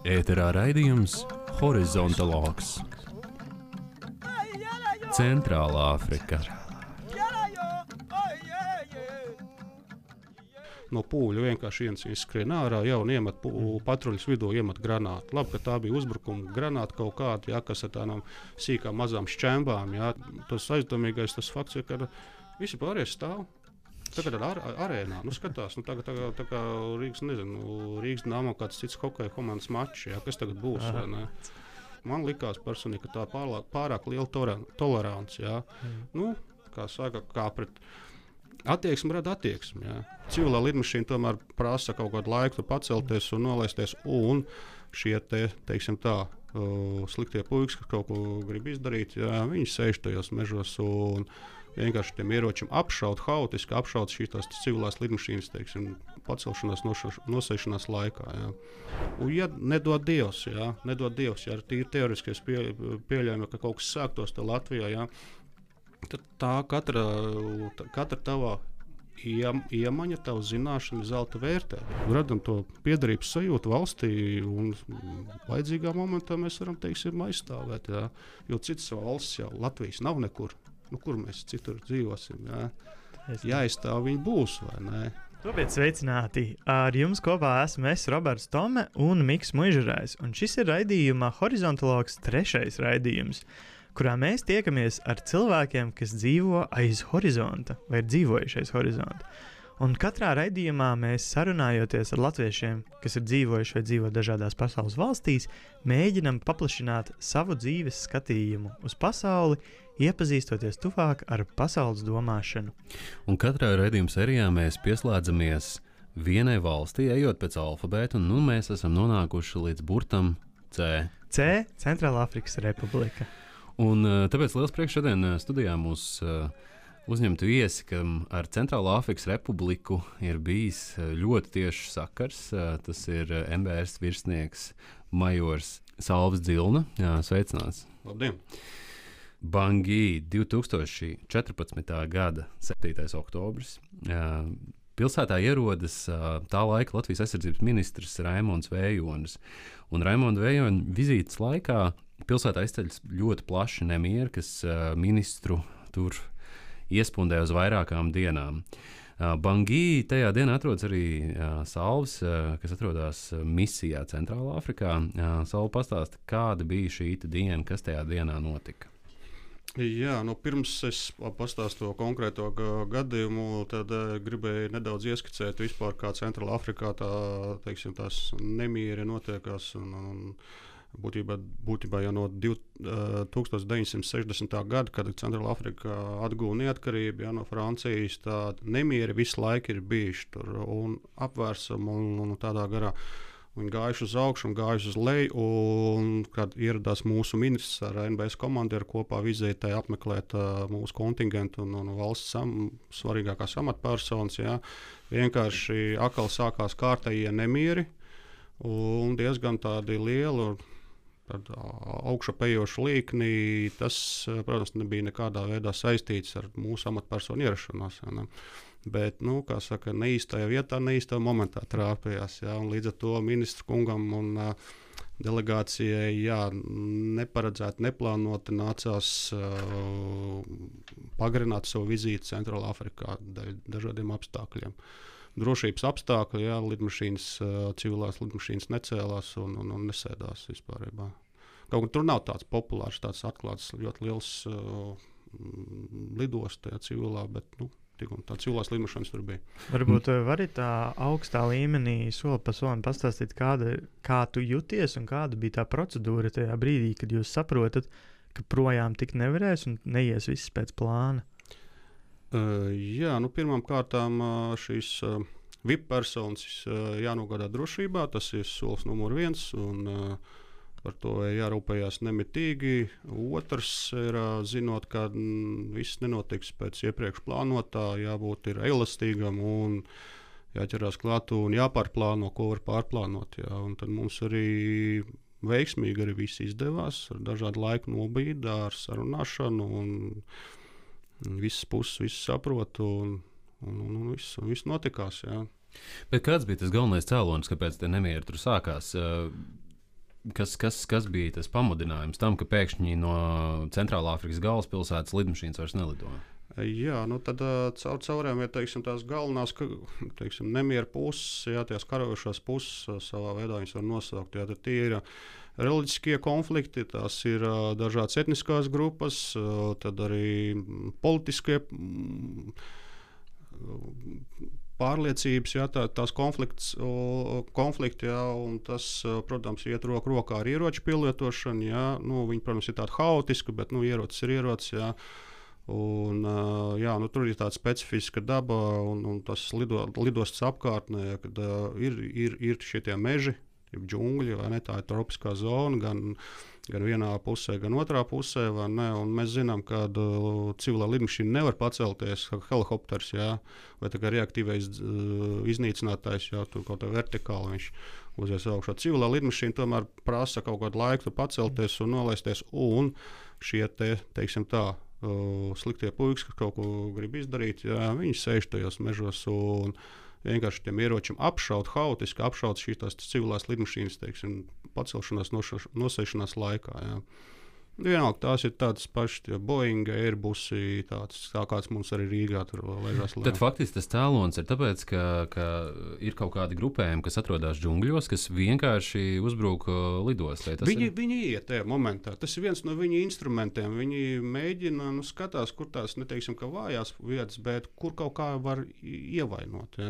Ēterā raidījums Horizontalogs. Centrālā Afrika. No pūļa vienkārši viens skrien ārā, jau iemet patruļas vidū, iemet granātu. Labi, ka tā bija uzbrukuma granāta kaut kāda, kas ar tādām sīkām mazām šķembām. Jā. Tas aizdomīgais tas fakts ir, ka visi pārējie stāv. Tagad ar arēnā, skatās, tā kā Rīgas Dynamo kāds cits hokeja komandas mačs, kas tagad būs. Man likās personīgi, ka tā pārāk liela tolerance. Kā saka, kā pret attieksmi rada attieksmi. Civilā lidmašīna tomēr prasa kaut kādu laiku pacelties un nolaisties, un šie teiksim tā, sliktie puikas, kas kaut ko grib izdarīt, viņi sēž tajos mežos un vienkārši tiem ieročiem haotiski apšaut šīs civilās lidmašīnas, teiksim, pacelšanās, nosēšanās laikā. Un, ja nedod Dievs, ja ir tīri teoretiskais pieļaujumi, ka kaut kas sāktos te Latvijā, tad tā katra tava iemaņa, tava zināšana ir zelta vērtē. Radam to piederības sajūtu valstī, un vajadzīgā momentā mēs varam, teiksim, aizstāvēt. Jo citas valsts jau Latvijas nav nekur. Kur mēs citur dzīvosim? Jāizstāv viņi būs, vai ne? Labrīt, sveicināti! Ar jums kopā esmu es, Roberts Tome un Miks Muižurājs. Un šis ir raidījuma Horizontalogs 3. raidījums, kurā mēs tiekamies ar cilvēkiem, kas dzīvo aiz horizonta vai ir dzīvojuši aiz horizonta. Un katrā raidījumā mēs sarunājoties ar latviešiem, kas ir dzīvojuši vai dzīvo dažādās pasaules valstīs, mēģinam paplašināt savu dzīves skatījumu uz pasauli, iepazīstoties tuvāk ar pasaules domāšanu. Un katrā raidījuma sērijā mēs pieslēdzamies vienai valstī, ejot pēc alfabēta, un mēs esam nonākuši līdz burtam C. C – Centrālā Afrikas Republika. Un tāpēc liels prieks šodien studijā mūs uzņemtu viesi, kam ar Centrālā Afrikas Republiku ir bijis ļoti tiešs sakars. Tas ir MBS virsnieks majors Salvis Dzilna. Sveicināts! Labdien! Bangī 2014. gada 7. oktobris. Pilsētā ierodas tā laika Latvijas aizsardzības ministrs Raimonds Vējonis. Un Raimonda Vējona vizītes laikā pilsētā izceļas ļoti plaši nemieri, kas ministru tur iespundē uz vairākām dienām. Bangī tajā dienā atrodas arī Salvis, kas atrodas misijā Centrālā Afrikā. Salvi, pastāsti, kāda bija šī diena, kas tajā dienā notika? Jā, pirms es pastāstu to konkrēto gadījumu, tad gribēju nedaudz ieskicēt vispār, kā Centrālā Afrikā tās nemieri notiekās. Būtībā jau no 1960. gada, kad Centrālā Afrika atguva neatkarību no Francijas, tādi nemieri visu laiku ir bijuši tur un apvērsumi un tādā garā. Viņi gājuši uz augšu un gājuši uz leju, un kad ieradās mūsu ministrs ar NBS komandieru kopā vizitē apmeklēt mūsu kontingentu un valsts svarīgākās amatpersonas, vienkārši atkal sākās kārtējie nemieri un diezgan tādi lieli augšupejoši līkni. Tas, protams, nebija nekādā veidā saistīts ar mūsu amatpersonu ierašanos. Bet, kā saka, neīstajā vietā, neīstajā momentā trāpījās. Līdz ar to ministru kungam un delegācijai neparedzēti, neplānoti nācās pagarināt savu vizīti Centrālā Afrikā dēļ dažādiem apstākļiem. Drošības apstākļi, civilās lidmašīnas necēlās un nesēdās vispārībā. Kaut kur tur nav tāds populārs, tāds atklāts, ļoti liels lidosta, civilā, bet tā civilās lidmašīnas tur bija. Varbūt vari tā augstā līmenī soli pa solim pastāstīt, kā tu jūties un kāda bija tā procedūra tajā brīdī, kad jūs saprotat, ka projām tik nevarēs un neies viss pēc plāna? Pirmām kārtām šīs VIP personas jānogādā drošībā, tas ir solis numur 1, un par to jārūpējās nemitīgi. Otrs ir, zinot, ka viss nenotiks pēc iepriekš plānotā, jābūt elastīgam un jāķerās klāt un jāpārplāno, ko var pārplānot. Un tad mums arī veiksmīgi arī viss izdevās ar dažādu laiku nobīdi, ar sarunāšanu un visas puses visu saprot un viss notikās. Bet kāds bija tas galvenais cēlonis, kāpēc te nemieri tur sākās? kas bija tas pamudinājums tam, ka pēkšņi no Centrālāfrikas galvaspilsētas lidmašīnas vairs nelido? Jā, tad cauriem ir tās galvenās nemieru puses, tās karojošās puses savā veidā viņas var nosaukt. Tad tie ir reliģiskie konflikti, tās ir dažādas etniskās grupas, tad arī politiskie pārliecības, tās konflikti, un tas, protams, iet roku rokā ar ieroču pielietošanu. Viņi, protams, ir tādi haotiski, bet ierocis ir ierocis. Un, tur ir tāda specifiska daba un tas lidostas apkārtnē, kad ir šie meži, džungļi, tā ir tropiskā zona, gan vienā pusē, gan otrā pusē. Un mēs zinām, ka civilā lidmašīna nevar pacelties, kā helikopters, vai tā kā reaktīvais iznīcinātājs, tur kaut kā vertikāli viņš uzies augšā. Civilā lidmašīna tomēr prasa kaut kādu laiku pacelties un nolaisties, un šie teiksim tā, sliktie puikas, kas kaut ko grib izdarīt, viņi sēž tajos mežos un vienkārši tiem ieročiem haotiski apšaut šīs civilās lidmašīnas, pacelšanās, nosēšanās laikā. Vienalga, tās ir tādas pašas, Boeing, Airbus, tā kāds mums arī Rīgā tur ležās. Tad faktiski tas cēlonis ir tāpēc, ka ir kaut kādi grupējumi, kas atrodas džungļos, kas vienkārši uzbruk lidostā. Viņi iet tajā momentā. Tas ir viens no viņu instrumentiem. Viņi mēģina, skatās, kur tās, neteiksim, ka vājās vietas, bet kur kaut kā var ievainot.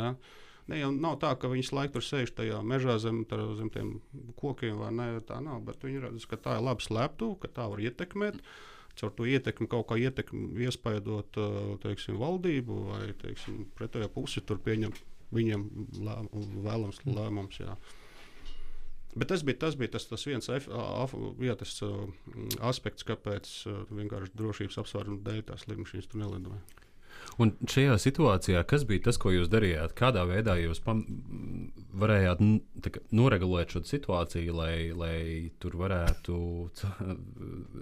Ne, jau nav tā, ka viņi laiku tur sēž tajā mežā zem tiem kokiem, vai ne, tā nav, bet viņi redz, ka tā ir laba slēptuve, ka tā var ietekmēt, caur to ietekmi kaut kā iespaidot, valdību vai, pretējā pusi tur pieņemt viņiem vēlams lēmums, Bet tas bija tas viens aspekts, kāpēc vienkārši drošības apsvērumu dēļ tās lidmašīnas tur nelidoja. Un šajā situācijā, kas bija tas, ko jūs darījāt? Kādā veidā jūs varējāt noregulēt šo situāciju, lai tur varētu...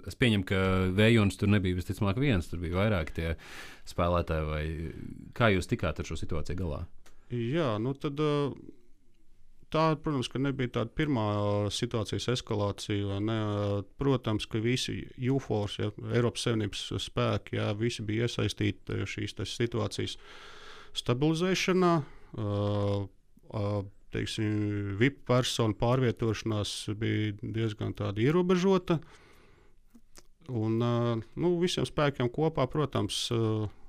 Es pieņemu, ka Vējonis tur nebija visticamāk viens, tur bija vairāk tie spēlētāji. Vai kā jūs tikāt ar šo situāciju galā? Jā, tad... Tā, protams, ka nebija tāda pirmā situācijas eskalācija. Protams, ka visi UFOs, Eiropas Savienības spēki, visi bija iesaistīti šīs situācijas stabilizēšanā. VIP personu pārvietošanās bija diezgan tāda ierobežota. Un visiem spēkiem kopā, protams,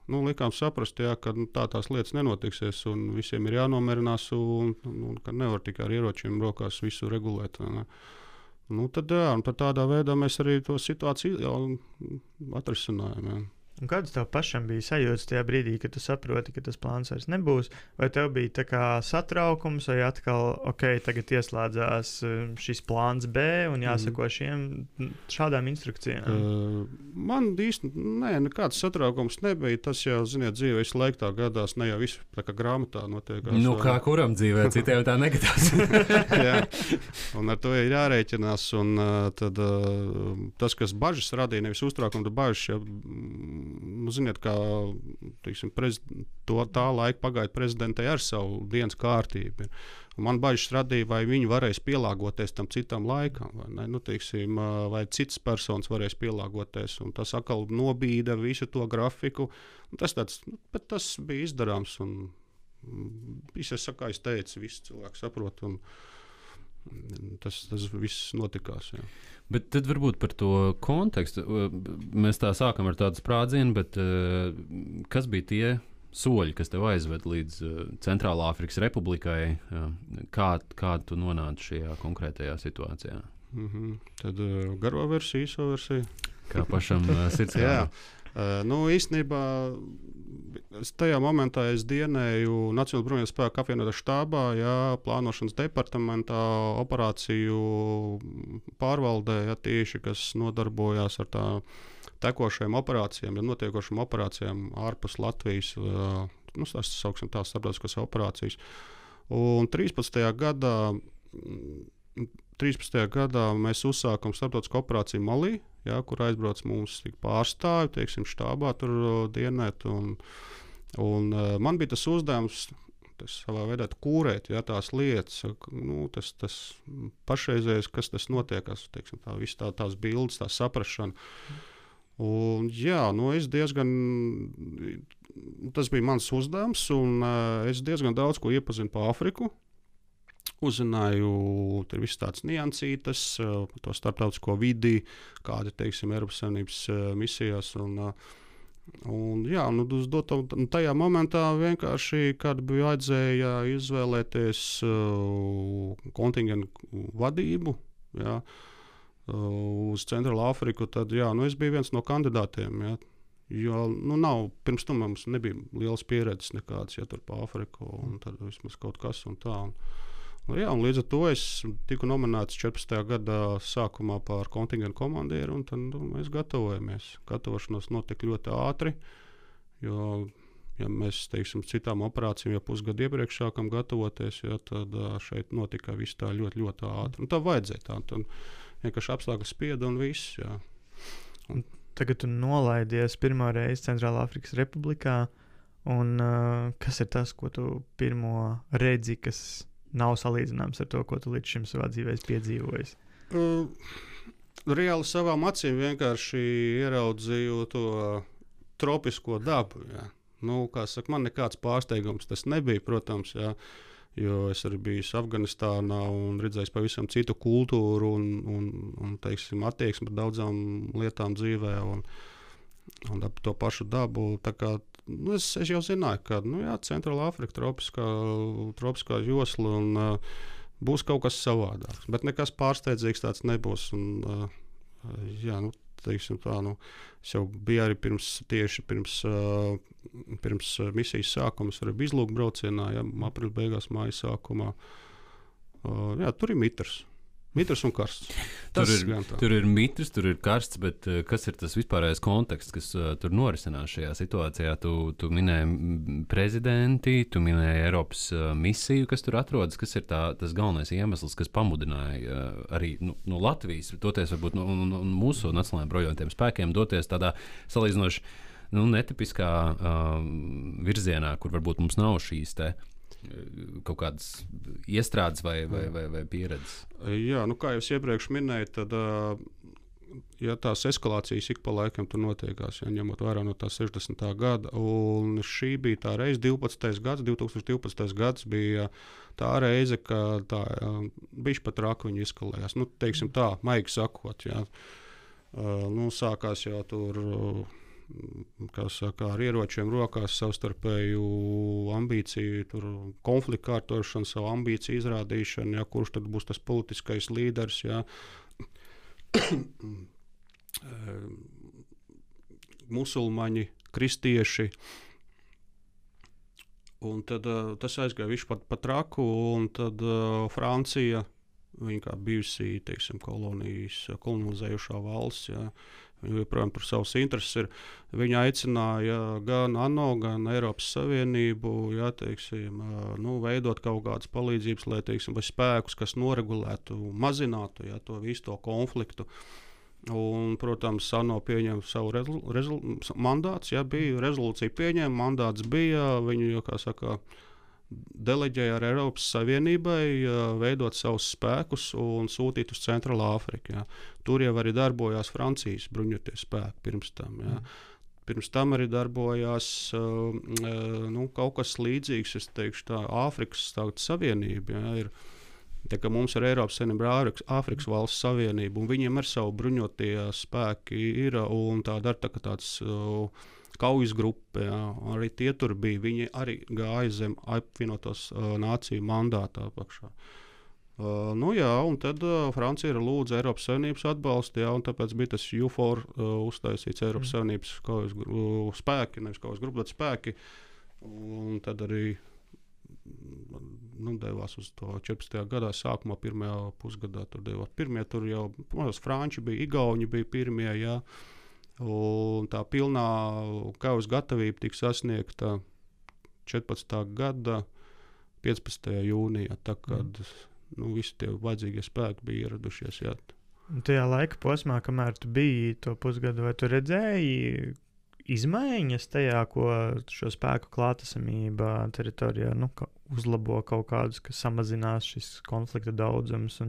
likām saprast, ka tās lietas nenotiksies, un visiem ir jānomierinās, un ka nevar tikai ar ieročiem rokās visu regulēt. Tad tādā veidā mēs arī to situāciju atrisinājām. Un kāds tev pašam bija sajūta tajā brīdī, kad tu saproti, ka tas plāns vairs nebūs? Vai tev bija tā kā satraukums, vai atkal, tagad ieslēdzās šis plāns B un jāsako šādām instrukcijām? Man īsti nekāds satraukums nebija. Tas jau, ziniet, dzīvē visu laiku tā gadās, ne jau visu tā kā grāmatā notiekās. Kā kuram dzīvē, citiem tā negadās. Jā, un ar to ir jārēķinās. Un tad tas, kas bažas radīja, nevis uztraukuma, bet bažas, ziniet, kā tā laika pagaida prezidentai ar savu dienas kārtību. Man bažas radīja, vai viņi varēs pielāgoties tam citam laikam, vai citas personas varēs pielāgoties. Un tas atkal nobīda visu to grafiku. Bet tas bija izdarāms. Visi saka, es teicu, visi cilvēki saprot. Tas viss notikās. Jā. Bet tad varbūt par to kontekstu. Mēs tā sākam ar tādu sprādzienu, bet kas bija tie soļi, kas tev aizved līdz Centrālāfrikas Republikai? Kā tu nonāci šajā konkrētajā situācijā? Tad garo versiju, īso versiju. Kā pašam sirds gāja? Īstenībā tajā momentā es dienēju Nacionālajā bruņoto spēku apvienotā štābā, plānošanas departamentā, operāciju pārvaldē, tieši kas nodarbojās ar tā tekošajām operācijām, notiekošām operācijām ārpus Latvijas, tās sauksim tās starptautiskās operācijas. Un 13. gadā mēs uzsākam starptautisku operāciju Malī, kur aizbrauc mums pārstāvi, štābā tur dienēt. Un man bija tas uzdevums savā veidā kūrēt, ja, tās lietas, tas pašreizējais, kas tas notiekās, teiksim, tās bildes, tā saprašana. Un, jā, es tas bija mans uzdevums, un es diezgan daudz ko iepazinu pa Afriku. Uzzināju, tur viss tāds niansītas, par to starptautisko vidi, kādi, teiksim, Eiropas Savienības misijās. Tajā momentā vienkārši, kad bija vajadzēja izvēlēties kontingentu vadību, jā, uz Centrālu Afriku, tad es biju viens no kandidātiem. Jā. Jo pirms tam mums nebija lielas pieredzes nekādas, ja tur pa Afriku, un tad vismaz kaut kas un tā. Un līdz ar to es tiku nominēts 14. Gada sākumā par kontingentu komandieru, un tad mēs gatavojamies. Gatavošanos notika ļoti ātri, jo, ja mēs, teiksim, citām operācijām jau pusgadu iepriekš sākam gatavoties, tad šeit notika viss tā ļoti, ļoti ātri. Un tā vajadzēja tā, tad vienkārši apstākļi spieda un viss, jā. Tagad tu nolaidies pirmo reizi Centrālā Afrikas Republikā, un kas ir tas, ko tu pirmo redzi, kas nav salīdzināms ar to, ko tu līdz šim savā dzīvē piedzīvojis? Reāli savām acīm vienkārši ieraudzīju to tropisko dabu. Jā. Kā saka, man nekāds pārsteigums tas nebija, protams, jā, jo es arī biju Afganistānā un redzējis pavisam citu kultūru un teiksim, attieksmi par daudzām lietām dzīvē un ap to pašu dabu. Tā kā es jau zināju, ka Centrālā Afrika, tropiskā josla un būs kaut kas savādāks. Bet nekas pārsteidzīgs tāds nebūs. Un, teiksim tā, es jau biju arī pirms misijas sākuma, es arī biju izlūkbraucienā, aprīļa beigās, māja sākumā. Tur ir mitrs. Mitrs un karsts. Tur ir mitrs, tur ir karsts, bet kas ir tas vispārējais konteksts, kas tur norisinās šajā situācijā? Tu minēji prezidenti, tu minēji Eiropas misiju, kas tur atrodas. Kas ir tas galvenais iemesls, kas pamudināja arī no Latvijas, doties varbūt no mūsu nacionālajiem bruņotajiem spēkiem, doties tādā salīdzinoši netipiskā virzienā, kur varbūt mums nav šīs kaut kādas iestrādes vai pieredzes? Jā, kā jau es iepriekš minēju, tad tās eskalācijas ik pa laikam tur notiekās, ņemot vērā no tā 60. gada. Un šī bija tā reize, 2012. gads bija tā reize, kad tā bišķi pat raka viņi eskalējās. Teiksim tā, maigi sakot, jā. Sākās jau tur ar ieročiem rokās savstarpēju ambīciju, konfliktu kārtošanu, savu ambīciju izrādīšanu, kurš tad būs tas politiskais līderis. Musulmaņi, kristieši. Un tad tas aizgāja visu pa traku, un tad Francija, viņa kā bijusī, teiksim, kolonizējušā valsts, joprojām par savus intereses ir. Viņa aicināja gan ANO, gan Eiropas Savienību, veidot kaut kādas palīdzības, lai, teiksim, vai spēkus, kas noregulētu, mazinātu, to visu to konfliktu. Un, protams, ANO pieņēma savu mandāts, bija rezolūcija pieņēma, mandāts bija, viņu, kā saka, deleģēja ar Eiropas Savienībai veidot savus spēkus un sūtīt uz Centrālu Afriku. Tur jau arī darbojās Francijas bruņotie spēki pirms tam. Pirms tam arī darbojās kaut kas līdzīgs, es teikšu tā, Āfrikas Tautas Savienība. Ir, ka mums ir Eiropas Savienība, Āfrikas valsts savienība, un viņiem ar savu bruņotie spēki ir, un tāda ar tāds kaujas grupa, arī tie tur bija. Viņi arī gāja zem apvienotos nāciju mandātā apakšā. Un tad Francija lūdza Eiropas Savienības atbalstu, un tāpēc bija tas UFOR uztaisīts Eiropas Savienības kaujas spēki, nevis kaujas grupa, bet spēki. Un tad arī devās uz to 14. gadā sākumā, pirmajā pusgadā tur devās. Pirmie tur jau, franči bija, igauņi bija pirmie, un tā pilnā kaujas gatavība tika sasniegta 14. gada 15. jūnijā, tā kad visi tie vajadzīgie spēki bija ieradušies. Tajā laika posmā, kamēr tu biji to pusgadu, vai tu redzēji izmaiņas tajā, ko šo spēku klātesamība teritorijā uzlabo kaut kādus, kas samazinās šis konflikta daudzums.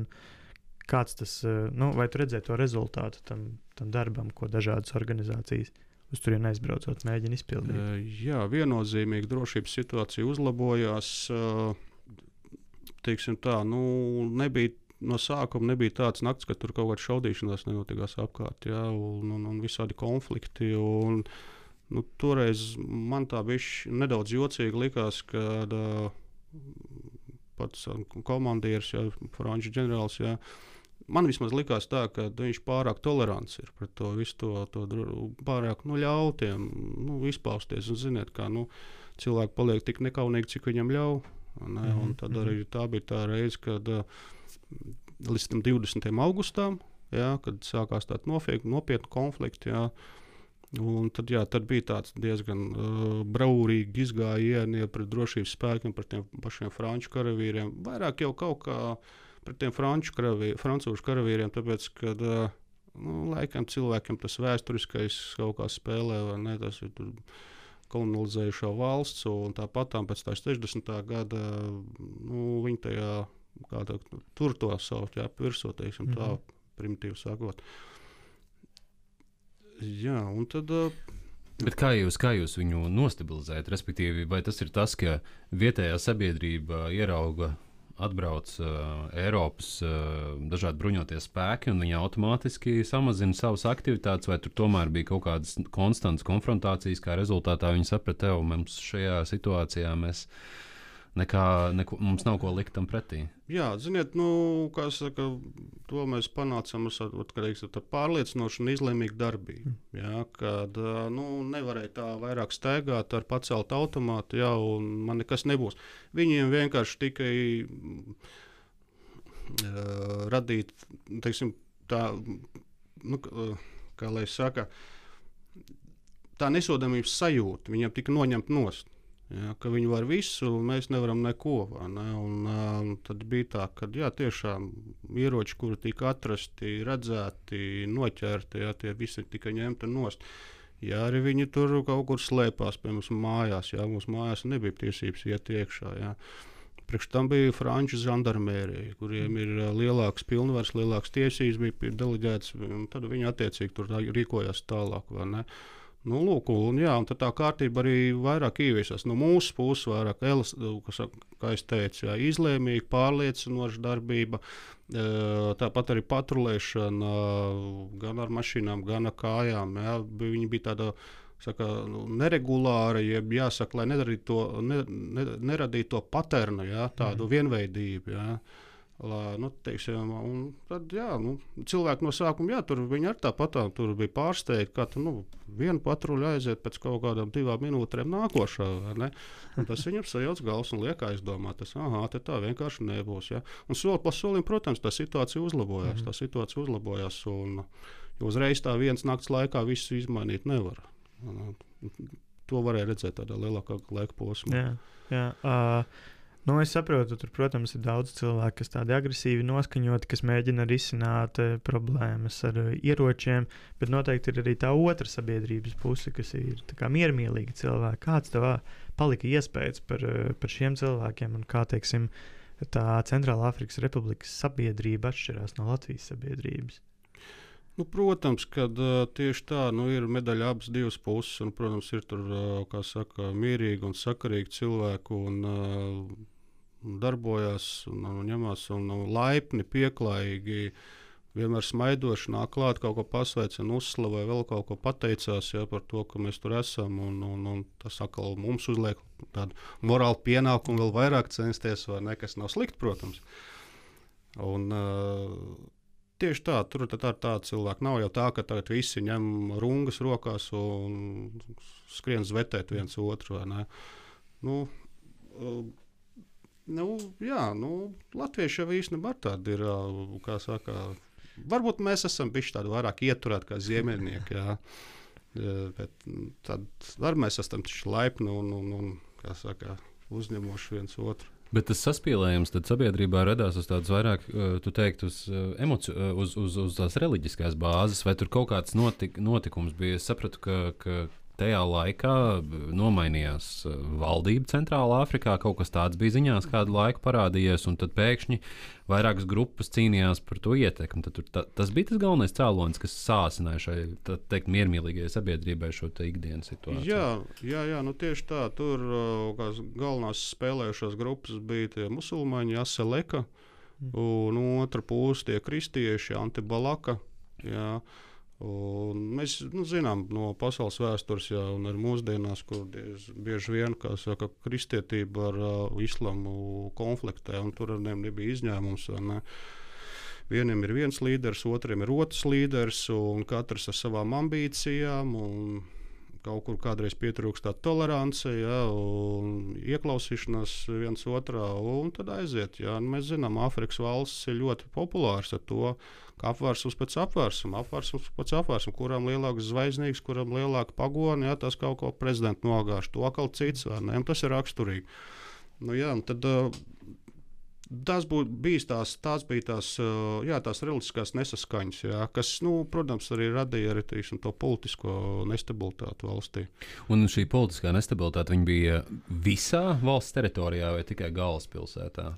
Kāds tas, vai tu redzēji to rezultātu tam darbam, ko dažādas organizācijas uz turieni aizbraucot mēģina izpildīt? Jā, viennozīmīgi drošības situācija uzlabojās. Teiksim tā, no sākuma nebija tāds nakts, ka tur kaut kāda šaudīšanās nenotikās apkārt, jā, un visādi konflikti. Toreiz man tā bija nedaudz jocīgi likās, kad pats komandieris, franču ģenerālis, man vismaz likās tā, ka viņš pārāk tolerants ir pret to visu to pārāk ļautiem izpausties. Un ziniet, kā cilvēki paliek tik nekaunīgi, cik viņam ļauj. Un tad arī tā bija tā reize, kad līdz 20. augustam, kad sākās tādi nopietni konflikti. Un tad bija tāds diezgan braurīgi izgājieni pret drošības spēkiem, pret tiem pašiem franču karavīriem. Vairāk jau kaut kā pret tiem francūžu karavīriem, tāpēc, ka laikam cilvēkiem tas vēsturiskais kaut kā spēlē, vai ne, tas ir tur kolonizējušo valsts, un tāpat pēc tā 60. gada viņi tajā tur to sauc, virsū, teiksim, tā primitīvi sakot. Jā, un tad... Bet kā jūs viņu nostabilizējat? Respektīvi, vai tas ir tas, ka vietējā sabiedrība atbrauc Eiropas dažādi bruņotie spēki, un viņi automātiski samazina savas aktivitātes, vai tur tomēr bija kaut kādas konstantas konfrontācijas, kā rezultātā viņi saprata, mums šajā situācijā mums nav ko likt tam pretī? Jā, ziniet, kā saka, to mēs panācām ar pārliecinošu un izlēmīgu darbību. Jā, kad nevarēja tā vairāk staigāt ar paceltu automātu, un man nekas nebūs. Viņiem vienkārši tikai radīt, teiksim, tā, kā lai saka, tā nesodāmības sajūta, viņiem tika noņemt nost. Ja, ka viņi var visu, un mēs nevaram neko. Tad bija tā, ka tiešām ieroči, kuri tika atrasti, redzēti, noķerti, tie visi tika ņemti nost. Ja arī viņi tur kaut kur slēpās pie mums mājās, mums mājās nebija tiesības iet iekšā. Ja. Priekš tam bija franču žandarmērija, kuriem ir lielāks pilnvars, lielāks tiesības, bija deleģēts, un tad viņi attiecīgi tur rīkojās tālāk. Lūk, un tad tā kārtība arī vairāk ieviesās. No mūsu puses vairāk, kā es teicu, izlēmīga, pārliecinoša darbība, tāpat arī patrulēšana gan ar mašīnām, gan ar kājām. Viņi bija tāda neregulāra, jeb jāsaka, lai neradītu to paternu, tādu vienveidību. Teiksim, un tad, cilvēki no sākuma, tur viņi arī tāpat tur bija pārsteigti, ka viena patruļa aiziet pēc kaut kādām 2 minūtēm nākošā. Tas viņam sajauc galvas un liek aizdomāt, tā vienkārši nebūs. Ja? Un soli pa solim, protams, tā situācija uzlabojās. Un uzreiz tā vienas nakts laikā visu izmainīt nevar. To varēja redzēt tādā lielākā laika posmā. Jā. Es saprotu, tur, protams, ir daudz cilvēku, kas tādi agresīvi noskaņoti, kas mēģina risināt problēmas ar ieročiem, bet noteikti ir arī tā otra sabiedrības puse, kas ir miermīlīgi cilvēki. Kāds tev palika iespējas par šiem cilvēkiem un kā, teiksim, tā Centrālā Afrikas Republikas sabiedrība atšķirās no Latvijas sabiedrības? Protams, ka tieši tā ir medaļa abas divas puses, un, protams, ir tur, kā saka, mierīgi un sakarīgi cilvēki, un darbojās, un ņemās, un laipni, pieklājīgi, vienmēr smaidoši nāk klāt, kaut ko pasveicina, uzslavē, vēl kaut ko pateicās par to, ka mēs tur esam, un tas atkal mums uzliek tādu morālu pienākumu vēl vairāk censties, vai ne, kas nav slikti, protams. Un tieši tā, tur tā cilvēki nav jau tā, ka tagad visi ņem rungas rokās un skrien zvetēt viens otru, vai ne. Latvieši jau īstenībā tādi ir, kā saka, varbūt mēs esam bišķi tādi vairāk ieturēti kā ziemeļnieki, bet tad var mēs esam taču laipni un kā saka, uzņemoši viens otru. Bet tas saspīlējums tad sabiedrībā radās uz tādas vairāk, tu teikt, uz tās reliģiskās bāzes, vai tur kaut kāds notikums bija? Es sapratu, ka tajā laikā nomainījās valdība Centrālā Afrikā, kaut kas tāds bija ziņās kādu laiku parādījies, un tad pēkšņi vairākas grupas cīnījās par to ietekmi. Tas bija tas galvenais cēlonis, kas sāsināja šai, teikt, miermīlīgajai sabiedrībai šo ikdienas situāciju. Jā, nu tieši tā. Tur galvenās spēlējušās grupas bija tie musulmaņi, Aseleka, un otra puse tie kristieši, Antibalaka. Jā. Un mēs zinām no pasaules vēstures, jā, un arī mūsdienās, kur bieži vien, kā saka, kristietība ar islamu konfliktē, un tur ar nebija izņēmums. Ne? Vienam ir viens līderis, otram ir otrs līderis, un katrs ar savām ambīcijām. Kaut kur kādreiz pietrūkst tā tolerance, ja, un ieklausīšanās viens otrā, un tad aiziet. Ja. Mēs zinām, Āfrikas valsts ir ļoti populārs ar to, ka apvērsums pēc apvērsuma, kuram lielāks zvaigznīgs, kuram lielāka pagona, ja, tas kaut ko prezidentu nogāž, to atkal cits, vai ne, un tas ir raksturīgi. Nu, jā, tad tās bija tās reliģiskās nesaskaņas, jā, kas, protams, arī radīja arī to politisko nestabilitāti valstī. Un šī politiskā nestabilitāte bija visā valsts teritorijā vai tikai galvaspilsētā?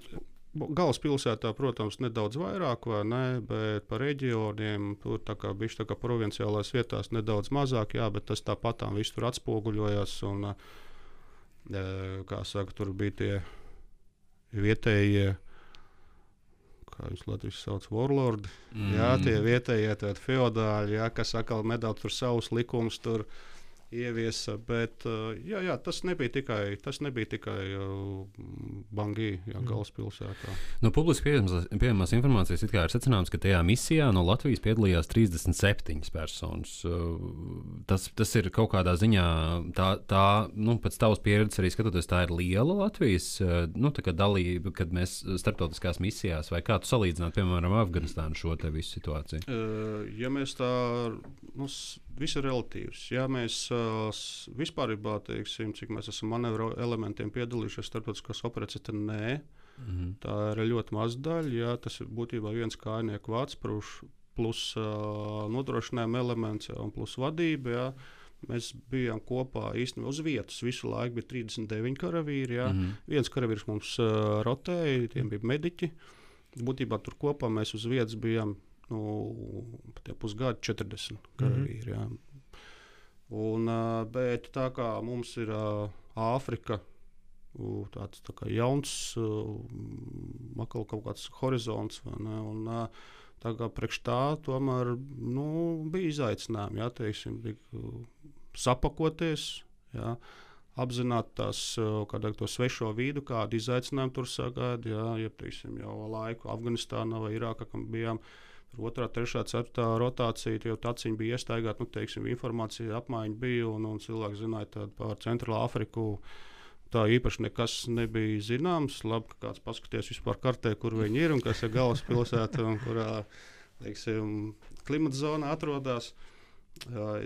Galvaspilsētā, protams, nedaudz vairāk, vai ne, bet par reģioniem tur tā kā provinciālās vietās nedaudz mazāk, jā, bet tas tāpatām viss tur atspoguļojās, un, kā saka, tur bija tie vietējie, kā viņus Latvijas sauc, warlordi, jā, tie vietējie feodāļi, jā, kas atkal nedaudz tur savus likumus tur ieviesa, bet jā, tas nebija tikai Bangī, galvaspilsētā. No publiski pieejamās informācijas it kā ir secināms, ka tajā misijā no Latvijas piedalījās 37 personas. Tas ir kaut kādā ziņā, pēc tavas pieredzes arī skatoties, tā ir liela Latvijas tā kā dalība, kad mēs starptautiskās misijās, vai kā tu salīdzināt, piemēram, Afganistānu šo te visu situāciju? Ja mēs tā, viss ir relatīvs. Ja mēs vispārībā teiksim, cik mēs esam manevru elementiem piedalījušies starptautiskās operācijas, tad nē. Tā ir ļoti maza daļa. Ja, tas ir būtībā viens kājnieku vārds plus nodrošinājuma elements un plus vadība. Ja. Mēs bijām kopā īstenībā uz vietas. Visu laiku bija 39 karavīri. Ja. Viens karavīrs mums rotēja, tiem bija mediķi. Būtībā tur kopā mēs uz vietas bijām pusgadu 40 karavīri. Jā. Bet tā kā mums ir Āfrika, tāds tā kā jauns, kaut kāds horizonts, vai ne, un tā kā priekš tā tomēr bija izaicinājumi, jā, teiksim, sapakoties, jā, apzināt to svešo vīdu, kādu izaicinājumu tur sagaida, jā, teiksim, jau laiku Afganistānā vai Irākā, kam bijām 2., 3., 4. rotācija, jau taciņi bija iestaigāti, teiksim, informācija apmaiņa bija, un cilvēki zināja par Centrālu Afriku. Tā īpaši nekas nebija zināms. Labi, ka kāds paskaties vispār kartē, kur viņi ir un kas ir galvaspilsēta un kurā, teiksim, klimata zonā atrodas.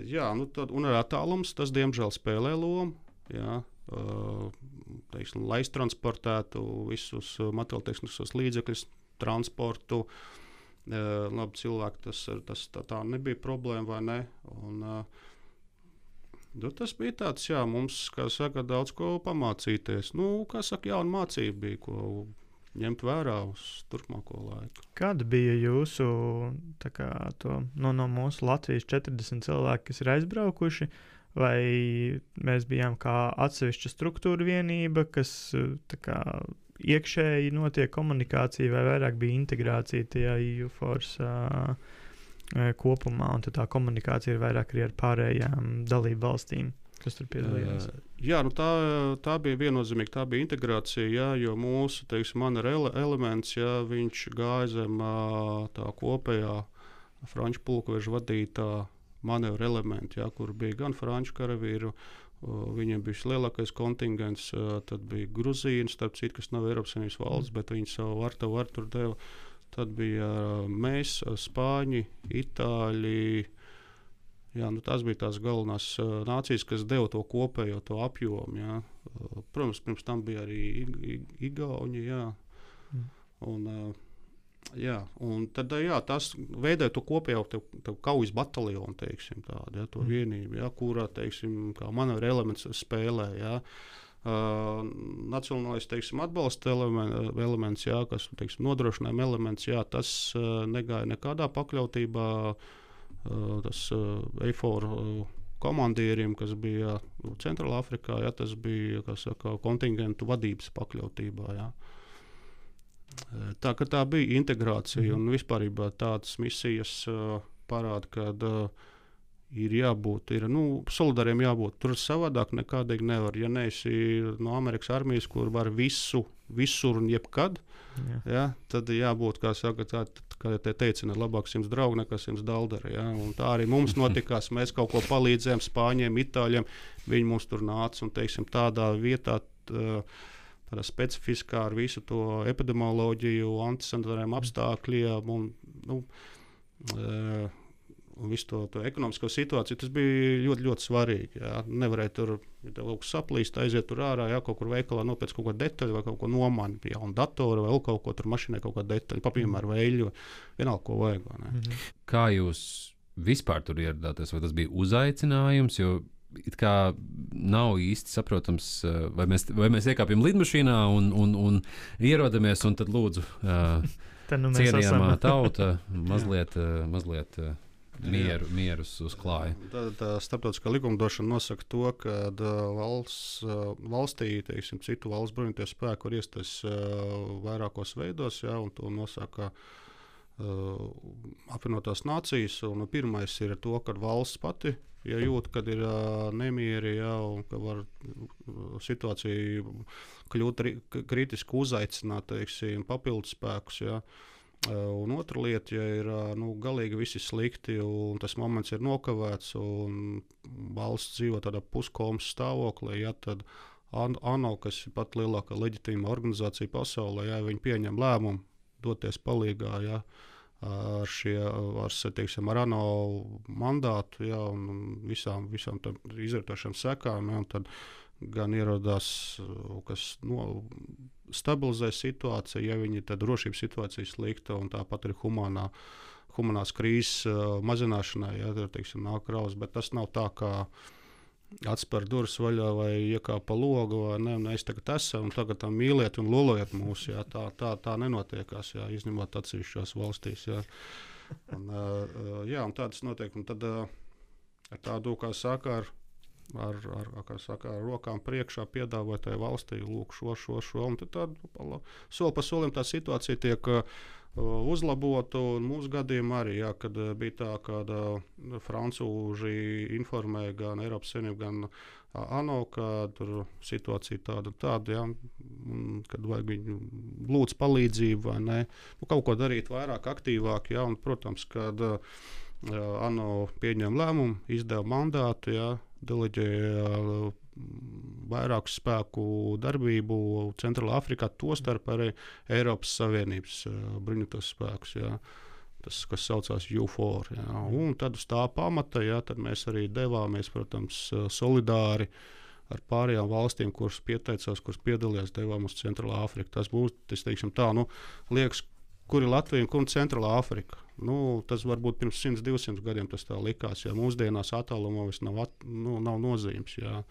Jā, un ar attālums tas, diemžēl, spēlē lomu. Jā. Teiksim, lai transportētu visus materiāltehniskos līdzekļus, transportu. Labi, cilvēki, tas tā nebija problēma, vai ne? Un, tas bija tāds, jā, mums, kā saka, daudz ko pamācīties. Kā saka, jauna mācība bija, ko ņemt vērā uz turpmāko laiku. Kāda bija jūsu, no mūsu Latvijas 40 cilvēki, kas ir aizbraukuši, vai mēs bijām kā atsevišķa struktūra vienība, kas iekšēji notiek komunikācija, vai vairāk bija integrācija tajā EUFORS kopumā, un tā komunikācija ir vairāk arī ar pārējām dalību valstīm, kas tur piedalījās? Jā, tā bija viennozīmīgi, tā bija integrācija, jā, jo mūsu, teiksim, manevru elements, jā, viņš gāja zem tā kopējā franču pulkveža vadītā manevru elementi, jā, kur bija gan franču karavīru, viņiem bija lielākais kontingents, tad bija Gruzīna, starp citu, kas nav Eiropas Savienības valsts, bet viņi savu varu tur deva. Tad bija mēs, Spāņi, Itāļi. Jā, tās bija tās galvenās nācijas, kas deva to kopējo to apjomu. Jā. Protams, pirms tam bija arī Igauņi. Jā. Un, Jā, un tad tas veidoja to kopējo kaujas bataljonu, teiksim, tādu, ja, to vienību, ja, kurā, teiksim, kā manevra elements spēlē. Ja. Nacionālais, teiksim, atbalsta elements, ja, kas, teiksim, nodrošinājuma elements, ja, tas negāja nekādā pakļautībā. Tas EIFOR komandierim, kas bija Centrālā Afrikā, ja, tas bija, kā saka, kontingentu vadības pakļautībā. Ja. Tā bija integrācija un vispār tādas misijas parāda, ka ir jābūt, solidāriem jābūt. Tur savādāk nekādīgi nevar. Ja neesi no Amerikas armijas, kur var visur un jebkad, ja, tad jābūt, kā saka, kā te teicina, labāk 100 draugi nekā 100 dalderi. Ja. Un tā arī mums notikās. Mēs kaut ko palīdzējām Spāņiem, Itāļiem. Viņi mums tur nāca un, teiksim, tādā vietā. Tādā specifiskā ar visu to epidemioloģiju, antisanitāriem apstākļiem un visu to ekonomisko situāciju. Tas bija ļoti, ļoti svarīgi. Jā. Nevarēja tur, ja tev kaut kas saplīst, aiziet tur ārā, jā, kaut kur veikalā nopēc kaut ko detaļu vai kaut ko nomani, jaunu datoru vai kaut ko tur mašīnai, kaut kādu detaļu, piemēram, veļu, vienalga, ko vajag. Kā jūs vispār tur ieradāties? Vai tas bija uzaicinājums? Jo it kā nav īsti saprotams, vai mēs iekāpjam lidmašīnā un ierodamies, un tad lūdzu cienījamā tauta mazliet mierus uzklāja. Tā starptautiskā likumdošana nosaka to, ka valstī, teiksim, citu valsts bruņoties spēku var iestāties vairākos veidos, ja, un to nosaka apvienotās nācijas. Un pirmais ir to, ka valsts pati, ja jūt, kad ir nemieri, ja, un ka var situācija kļūt kritiski uzaicināt, teiksim, papildus spēkus. Ja. Un otra lieta, ja ir galīgi visi slikti, un tas moments ir nokavēts, un valsts dzīvo tādā puskomas stāvoklī, ja, tad ANO, kas ir pat lielākā leģitīma organizācija pasaulē, ja, viņi pieņem lēmumu doties palīgā. Ja, ar ANO mandātu, ja, un visām izrietošām sekām, ja, un tad gan ierodās, kas stabilizē situāciju, ja viņi tad drošības situācija slikta, un tāpat arī humanās krīzes mazināšanai, ja, teiksim, nāk kraus, bet tas nav tā, kā atspēr durvis vaļā vai iekāp pa logu, vai ne, mēs tagad esam, un tagad mīliet un lolojiet mūs, jā, tā nenotiekās, jā, izņemot atsevišķās valstīs, jā. Un tādas notiek, un tad ar tādu, kā saka, ar rokām priekšā piedāvāt tai valstī, lūk, šo, un tad tādu soli pa solim tā situācija tiek uzlabotu. Mūsu gadījumā arī, jā, kad bija tā, ka francūži informēja gan Eiropas Savienību, gan ANO, ka tur situācija tāda, jā, kad vajag viņu lūdz palīdzību vai ne, kaut ko darīt vairāk, aktīvāk, jā, un, protams, kad ANO pieņem lēmumu, izdeva mandātu, jā, deleģēja vairāku spēku darbību Centrālā Afrikā, tostarp arī Eiropas Savienības bruņotos spēkus, jā, tas, kas saucās EUFOR. Jā. Un tad uz tā pamata, jā, tad mēs arī devāmies, protams, solidāri ar pārējām valstīm, kuras pieteicās, kuras piedalījās, devām uz Centrālā Afriku. Tas būs, teiksim tā, liekas, kur ir Latvija un kur ir Centrālā Afrika. Tas varbūt pirms 100-200 gadiem tas tā likās, ja mūsdienās attālumā vairs nav nozīmes. Jā.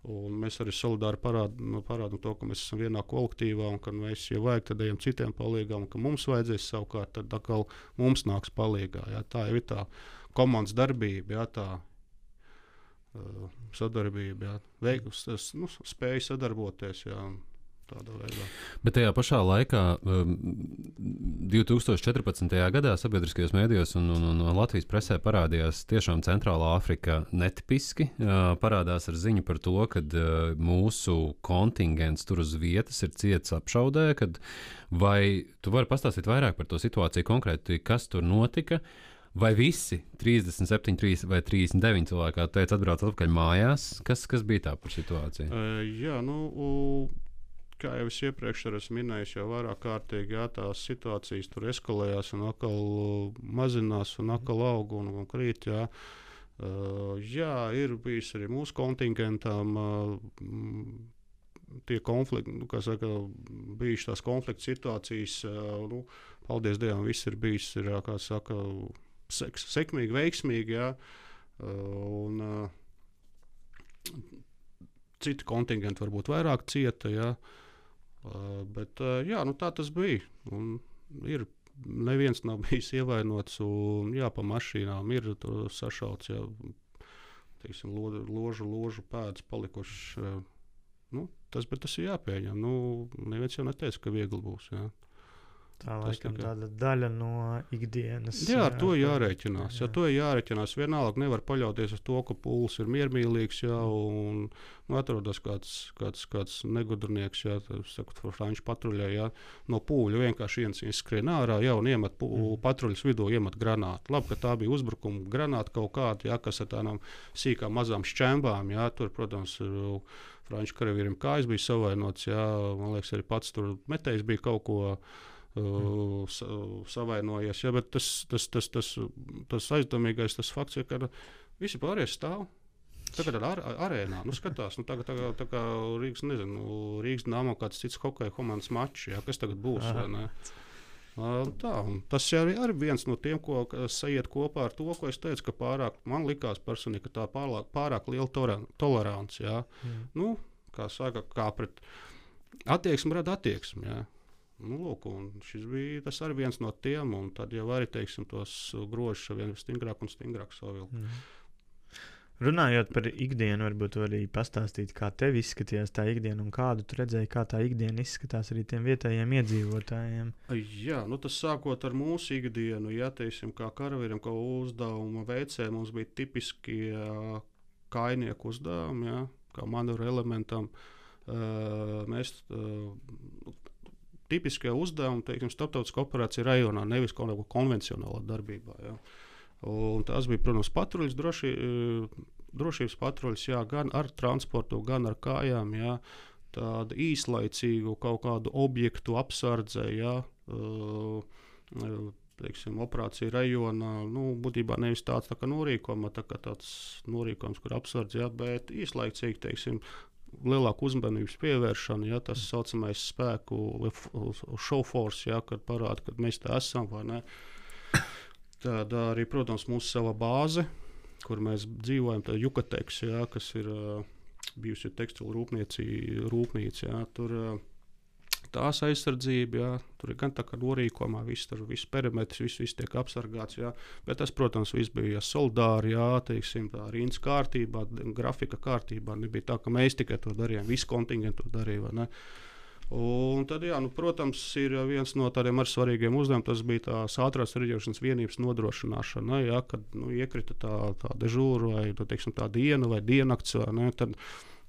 Un mēs arī solidāri parādām to, ka mēs esam vienā kolektīvā, un ka mēs, ja vajag, tad ejam citiem palīgā, un ka mums vajadzēs savukārt, tad atkal mums nāks palīgā. Jā. Tā jau ir tā komandas darbība, jā, tā sadarbība, jā. Spēja sadarboties. Jā. Bet tajā pašā laikā, 2014. gadā sabiedriskajos mēdījos un Latvijas presē parādījās tiešām Centrālā Afrika netipiski. Parādās ar ziņu par to, ka mūsu kontingents tur uz vietas ir ciets apšaudē. Vai tu vari pastāstīt vairāk par to situāciju konkrēti, kas tur notika? Vai visi 37 vai 39 cilvēki, kā teica, atbrauc atpakaļ mājās? Kas bija tā par situāciju? Kā jau es iepriekš esmu minējis, jau vairāk kārtīgi, jā, tās situācijas tur eskalējās un atkal mazinās un atkal aug un krīt. Jā. Ir bijis arī mūsu kontingentam tie konflikti, kā saka, bijušas tās konflikta situācijas, paldies Dievam, viss ir bijis, kā saka, sekmīgi, veiksmīgi, jā. Un citi kontingenti varbūt vairāk cieta, jā. Bet jā, tā tas bija. Un neviens nav bijis ievainots, un jā, pa mašīnām ir sašauts, jā, teiksim, ložu pēdas palikušas. Tas ir jāpieņem. Neviens jau neteica, ka viegli būs, jā. Tā laikam tāda daļa no ikdienas. Jā, ar to jārēķinās. Jā, to jārēķinās. Vienalga nevar paļauties uz to, ka pūlis ir miermīlīgs, jā, un atrodas kāds negudrnieks, jā, saku, franču patruļā, jā, no pūļa vienkārši viens skrien ārā, jā, un iemet patruļas vidū, iemet granātu. Labi, ka tā bija uzbrukuma granāta kaut kāda, jā, kas ar tādām sīkām mazām šķembām, jā, tur, protams, franču karavīriem kājas bija savainots, jā, man liekas, arī pats tur metējs bija kaut ko savainojies, ja, bet tas aizdomīgais tas fakts ir, ka visi pārējie stāv. Tagad ar arēnā, skatās, tā kā Rīgas, Rīgas Dynamo kāds cits hokeja komandas mačs, ja, kas tagad būs, vai ne? Tas arī viens no tiem, ko sajiet kopā ar to, ko es teicu, ka man likās personīgi, ka tā pārāk liela tolerants, ja. Kā saka, kā pret attieksmi rada attieksmi, ja. Lūk, tas arī viens no tiem, un tad jau arī, teiksim, tos grožus vien stingrāk un stingrāk savilkt. Runājot par ikdienu, varbūt arī pastāstīt, kā tev izskatījās tā ikdiena un kādu tu redzēji, kā tā ikdiena izskatās arī tiem vietējiem iedzīvotājiem. Jā, tas sākot ar mūsu ikdienu, ja, teiksim, kā karavīriem, kā uzdevuma veicēji, mums bija tipiski kainieku uzdevumi, ja, kā manevru elementam. Mēs tipiskie uzdevumi, teiksim, starptautiskā operācija rajonā, nevis kaut kādā konvencionālā darbībā. Ja. Un tās bija, protams, patruļas, drošības patruļas, jā, gan ar transportu, gan ar kājām, jā, tādu īslaicīgu kaut kādu objektu apsardze, jā, teiksim, operācija rajonā, būtībā nevis tāds tā kā norīkojums, tāds norīkojums, kur apsardze, jā, bet īslaicīgi, teiksim, lielāku uzmanības pievēršanu, ja, tas saucamais spēku show force, ja, kad parāda, kad mēs tā esam, vai ne. Tad arī, protams, mūsu sava bāze, kur mēs dzīvojam, tā Jukateks, ja, kas ir bijusi tekstilu rūpnīca, ja, tur tās aizsardzība, ja, tur ir gan tā kā norīkojumā, viss perimetrs, viss tiek apsargāts, ja, bet tas, protams, viss bija solidāri, ja, teiksim, tā rindas kārtībā, grafika kārtībā, nebija tā, ka mēs tikai to darījām, visi kontingenti to darīja, vai ne. Un tad, jā, protams, ir viens no tādiem ar svarīgiem uzdevumiem, tas bija tās ātrās reaģēšanas vienības nodrošināšana, ja, kad iekrita tā dežūra vai, teiksim, tā diena vai diennakts, vai ne, tad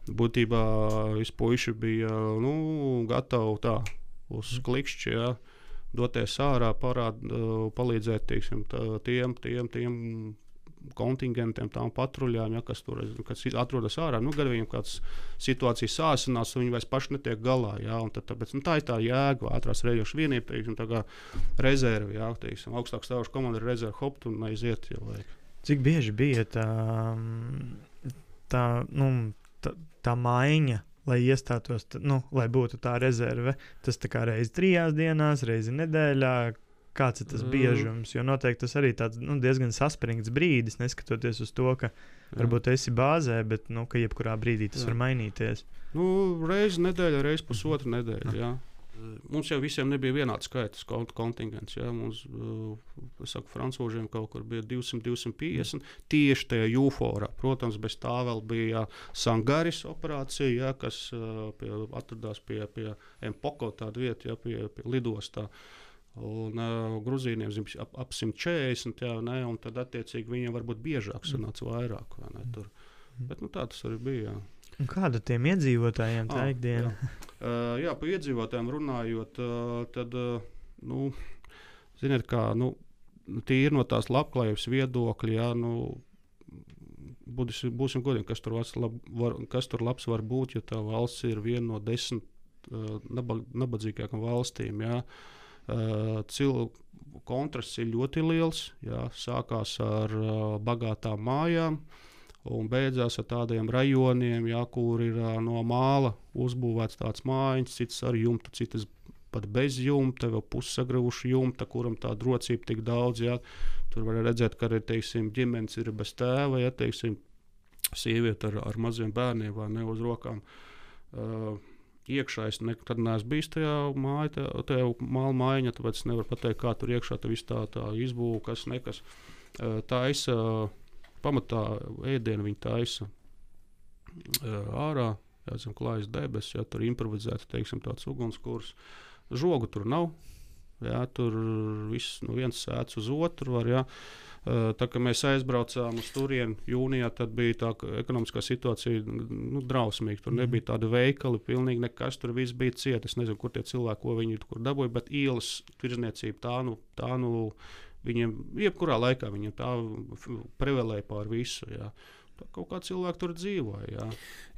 būtībā visi puiši bija gatavi tā uz klikšķi, ja, doties ārā, palīdzēt, teiksim, tiem kontingentiem, tām patruļām, ja, kas atrodas ārā. Gan viņiem kāds situācijas sāsinās, un viņi vairs paši netiek galā. Ja, un tāpēc, tā ir tā jēga, ātrās reaģēšanas vienība, teiksim, tā kā rezerve, ja, teiksim, augstāk stāvoša komanda ir rezerve, hopt un aiziet, ja vajag. Cik bieži bija tā maiņa, lai iestātos, lai būtu tā rezerve? Tas tā kā reizi 3 dienās, reizi nedēļā, kāds ir tas biežums? Jo noteikti tas arī tāds diezgan saspringts brīdis, neskatoties uz to, ka varbūt esi bāzē, bet ka jebkurā brīdī tas var mainīties. Reizi nedēļa, reizi pusotra nedēļa, jā. Mums jau visiem nebija vienāds skaits kontingents. Ja? Mums, francūžiem kaut kur bija 200-250 tieši tajā Jūforā. Protams, bez tā vēl bija Sangaris operācija, ja, kas atradās pie Empoko tāda vieta, ja, pie lidostā. Un Gruzīniem ap 140, ja, ne, un tad attiecīgi viņiem varbūt biežāk sanāca vairāk. Vai ne, tur. Bet tā tas arī bija. Jā. Un kāda tiem iedzīvotājiem tā ikdiena? Jā, par iedzīvotājiem runājot, tad, ziniet kā, tīri no tās labklājības viedokļa, jā, būsim godīgi, kas tur labs var būt, ja tā valsts ir viena no 10 nabadzīgākām valstīm, jā. Kontrasts ir ļoti liels, jā, sākās ar bagātām mājām. un beidzās ar tādiem rajoniem, jā, kur ir no māla uzbūvēts tāds mājiņas, citas ar jumtu, citas pat bez jumta, vēl pussagravuši jumta, kuram tā drocība tik daudz. Jā. Tur var redzēt, ka arī teiksim, ģimenes ir bez tēva, ja teiksim, sieviete ar maziem bērniem vai ne uz rokām. Iekšā es nekad neesmu bijis tajā māla mājiņā, tāpēc es nevaru pateikt, kā tur iekšā tā viss tā izbūve, kas nekas. Taisa, pamatā ēdienu viņi taisa ārā, zem klājas debesis, ja tur improvizēta, teiksim, tāds ugunskurs. Žogu tur nav, jā, tur viss no viens sēdz uz otru var, jā. Tā kā mēs aizbraucām uz turieni jūnijā, tad bija tā ekonomiskā situācija drausmīga. Tur nebija tāda veikali, pilnīgi nekas, tur viss bija ciet. Es nezinu, kur tie cilvēki, ko viņi tur dabūja, bet ielas tirzniecība tā viņiem, jebkurā laikā viņiem tā prevelēja pār visu, jā. Kaut kā cilvēki tur dzīvoja. Jā.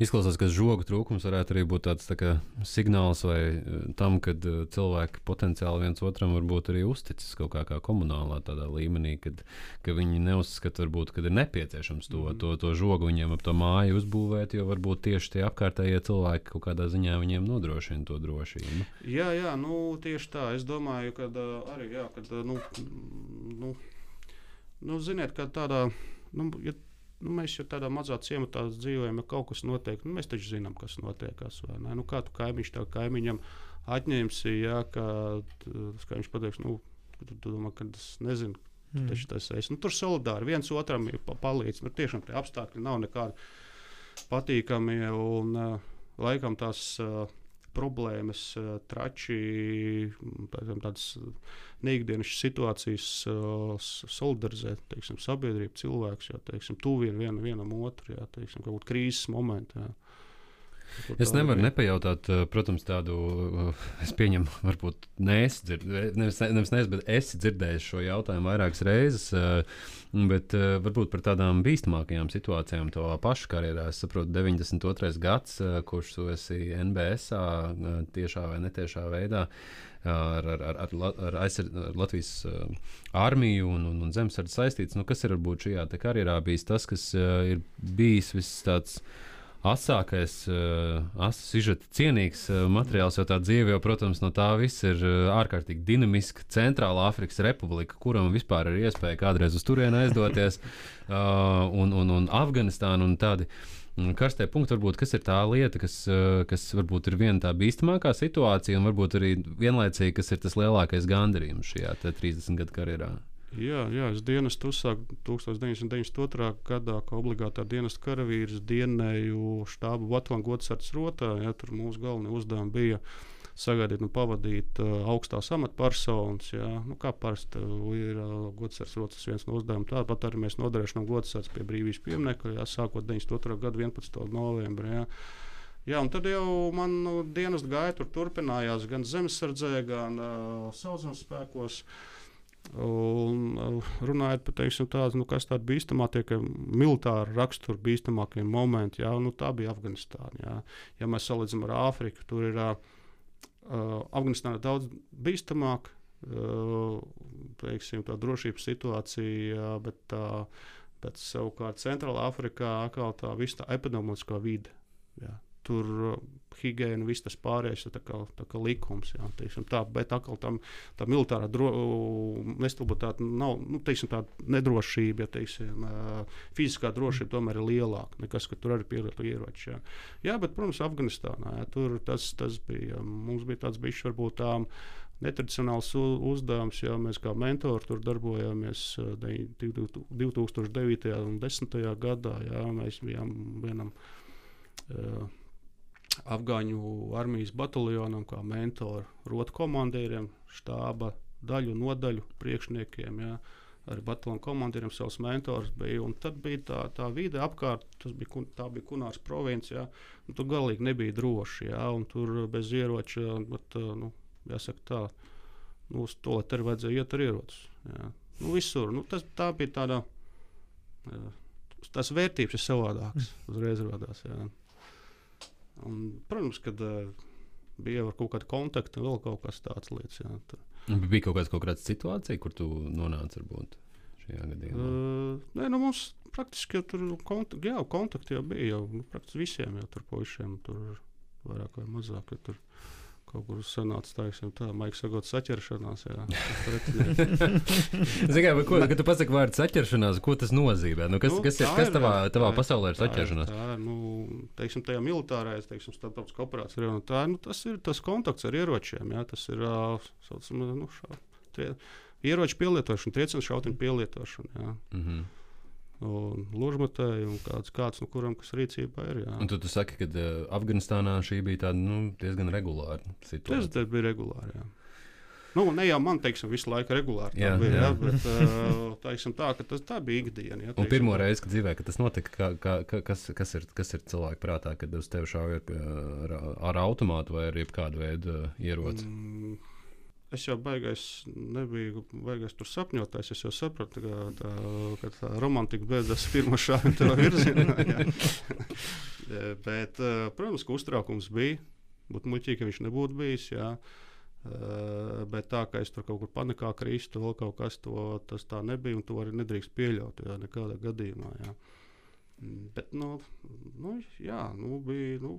Izklausās, ka žogu trūkums varētu arī būt tāds tā kā signāls vai tam, kad cilvēki potenciāli viens otram varbūt arī uzticas kaut kā komunālā tādā līmenī, ka viņi neuzskata, varbūt, kad ir nepieciešams to žogu viņiem ap to māju uzbūvēt, jo varbūt tieši tie apkārtējie cilvēki kaut kādā ziņā viņiem nodrošina to drošību. Jā, tieši tā. Es domāju, ka arī, jā, kad, ziniet, ka tādā, mēs jau tādā mazā ciematā dzīvojam, ja kaut kas notiek, mēs taču zinām, kas notiekās. Kā tu kaimiņš tev kaimiņam atņemsi, ja, ka viņš pateiks, tu domā, ka es nezinu, tu taču tas esi. Tur solidāri viens otram palīdz. Tiešām tie apstākļi nav nekādi patīkami un laikam tās problēmas, trači, tādas neikdienas situācijas solidarizēt, teiksim, sabiedrību, cilvēks, jā, teiksim, tuvi vienam otru, jā, teiksim, kaut kādā krīzes momentā. Es nevaru nepajautāt, protams, tādu, es pieņemu, varbūt nevis, bet esi dzirdējis šo jautājumu vairākas reizes, bet varbūt par tādām bīstamākajām situācijām to pašu karjerā. Es saprotu, 92. gads, kurš tu esi NBS-ā tiešā vai netiešā veidā ar Latvijas armiju un zemesardzi saistīts. Kas ir varbūt šajā karjerā bijis tas, kas ir bijis viss tāds asākais, sižeta cienīgs materiāls, jo tā dzīve jau, protams, no tā viss ir ārkārtīgi dinamiska. Centrāla Afrikas Republika, kuram vispār ir iespēja kādreiz uz turieni aizdoties, un Afganistāna un tādi karstie punkti, varbūt, kas ir tā lieta, kas varbūt ir viena tā bīstamākā situācija, un varbūt arī vienlaicīgi, kas ir tas lielākais gandarījums šajā 30 gadu karjerā. Jā, es dienestu uzsāku 1992. gadā, kā obligātā dienesta karavīrs, dienēju štābu Bataljona godsardzes rotā. Jā, tur mūsu galvenie uzdevumi bija sagaidīt un pavadīt augstās amatpersonas. Kā parasti ir godsardzes rotas viens no uzdevumiem. Tāpat arī mēs nodrošinām godsardzi pie brīvības pieminekļa, sākot 92. gada 11. novembrī. Jā, un tad jau man dienesta gaita turpinājās gan zemesardzē, gan sauszemes spēkos. Un, runājot par tādu, kas tāda bīstamākie, militāra rakstura bīstamākie momenti, jā, tā bija Afganistāna. Jā. Ja mēs salīdzinām ar Āfriku, tur ir Afganistāna daudz bīstamāk, tā drošības situācija, bet savukārt Centrālā Afrikā atkal tā visa tā epidemioloģiskā vide. Jā. Tur higiēna, viss tas pārējais ir tā kā likums. Jā, teiksim, bet atkal tā militārā nestabilitāte nav, tāda nedrošība, ja teiksim, fiziskā drošība tomēr ir lielāka nekā, ka tur arī pielietotu ieroči. Jā, bet, protams, Afganistānā, jā, tur tas bija, mums bija tāds bišķi varbūt netradicionāls uzdevums, ja mēs kā mentori tur darbojāmies 2009. un 2010. gadā. Jā, mēs bijām vienam Afgāņu armijas bataljonam, kā mentori, rotu komandieriem, štāba daļu, nodaļu priekšniekiem, jā, arī bataljonu komandieriem savs mentors bija. Un tad bija tā vide apkārt, tā bija Kunārs province, jā, un tur galīgi nebija droši, jā, un tur bez ieroča, bet, jāsaka tā, uz to, lai te vajadzēja iet ar ierocis. Jā. Visur, tā bija tāda, tās vērtības ir savādākas, uzreiz rodās, jā. Un, protams, kad bija jau kaut kāda kontakta, vēl kaut kas tāds lietas. Jā, bija kaut kāda situācija, kur tu nonāci varbūt šajā gadījumā? Nē, nu mums praktiski jau tur kontakti jau bija. Jau, praktiski visiem jau tur puišiem tur vairāk vai mazāk. Tur kaut kur sanāca tā, Maiks sagot saķeršanās. Zini, kad tu pasaki vārdu saķeršanās, ko tas nozīmē? Nu, kas tavā pasaulē ir saķeršanās? Tā ir, teiksim, tajā militārajā, teiksim, starptautiskā operācija. Tas ir tas kontakts ar ieročiem. Jā, tas ir ieroču pielietošana, triecienu šautiņu pielietošana. Jā. Mhm. Un ložmetēji un kāds no kuram, kas rīcībā ir. Jā. Un tu saki, ka Afganistānā šī bija tāda diezgan regulāra situācija. Tas bija regulāri, jā. Ne jau man, teiksim, visu laiku regulāri jā, bija, jā. Bet teiksim tā, ka tā bija ikdiena. Jā, un pirmo reizi, kad dzīvē, kad tas notika, kas ir cilvēku prātā, kad uz tevi šauja ar automātu vai ar jebkādu veidu ieroci? Es jau nebiju baigais tur sapņotājs. Es jau sapratu, ka tā romantika beidzas pirmā šāda tev virzienā. Bet, protams, ka uztraukums bija. Būtu muļķīgi, ka viņš nebūtu bijis. Jā. Bet tā, ka es tur kaut kur panikā kristu, vēl kaut kas, tas tā nebija. Un to arī nedrīkst pieļaut, jā, nekādā gadījumā. Jā. Bet, bija,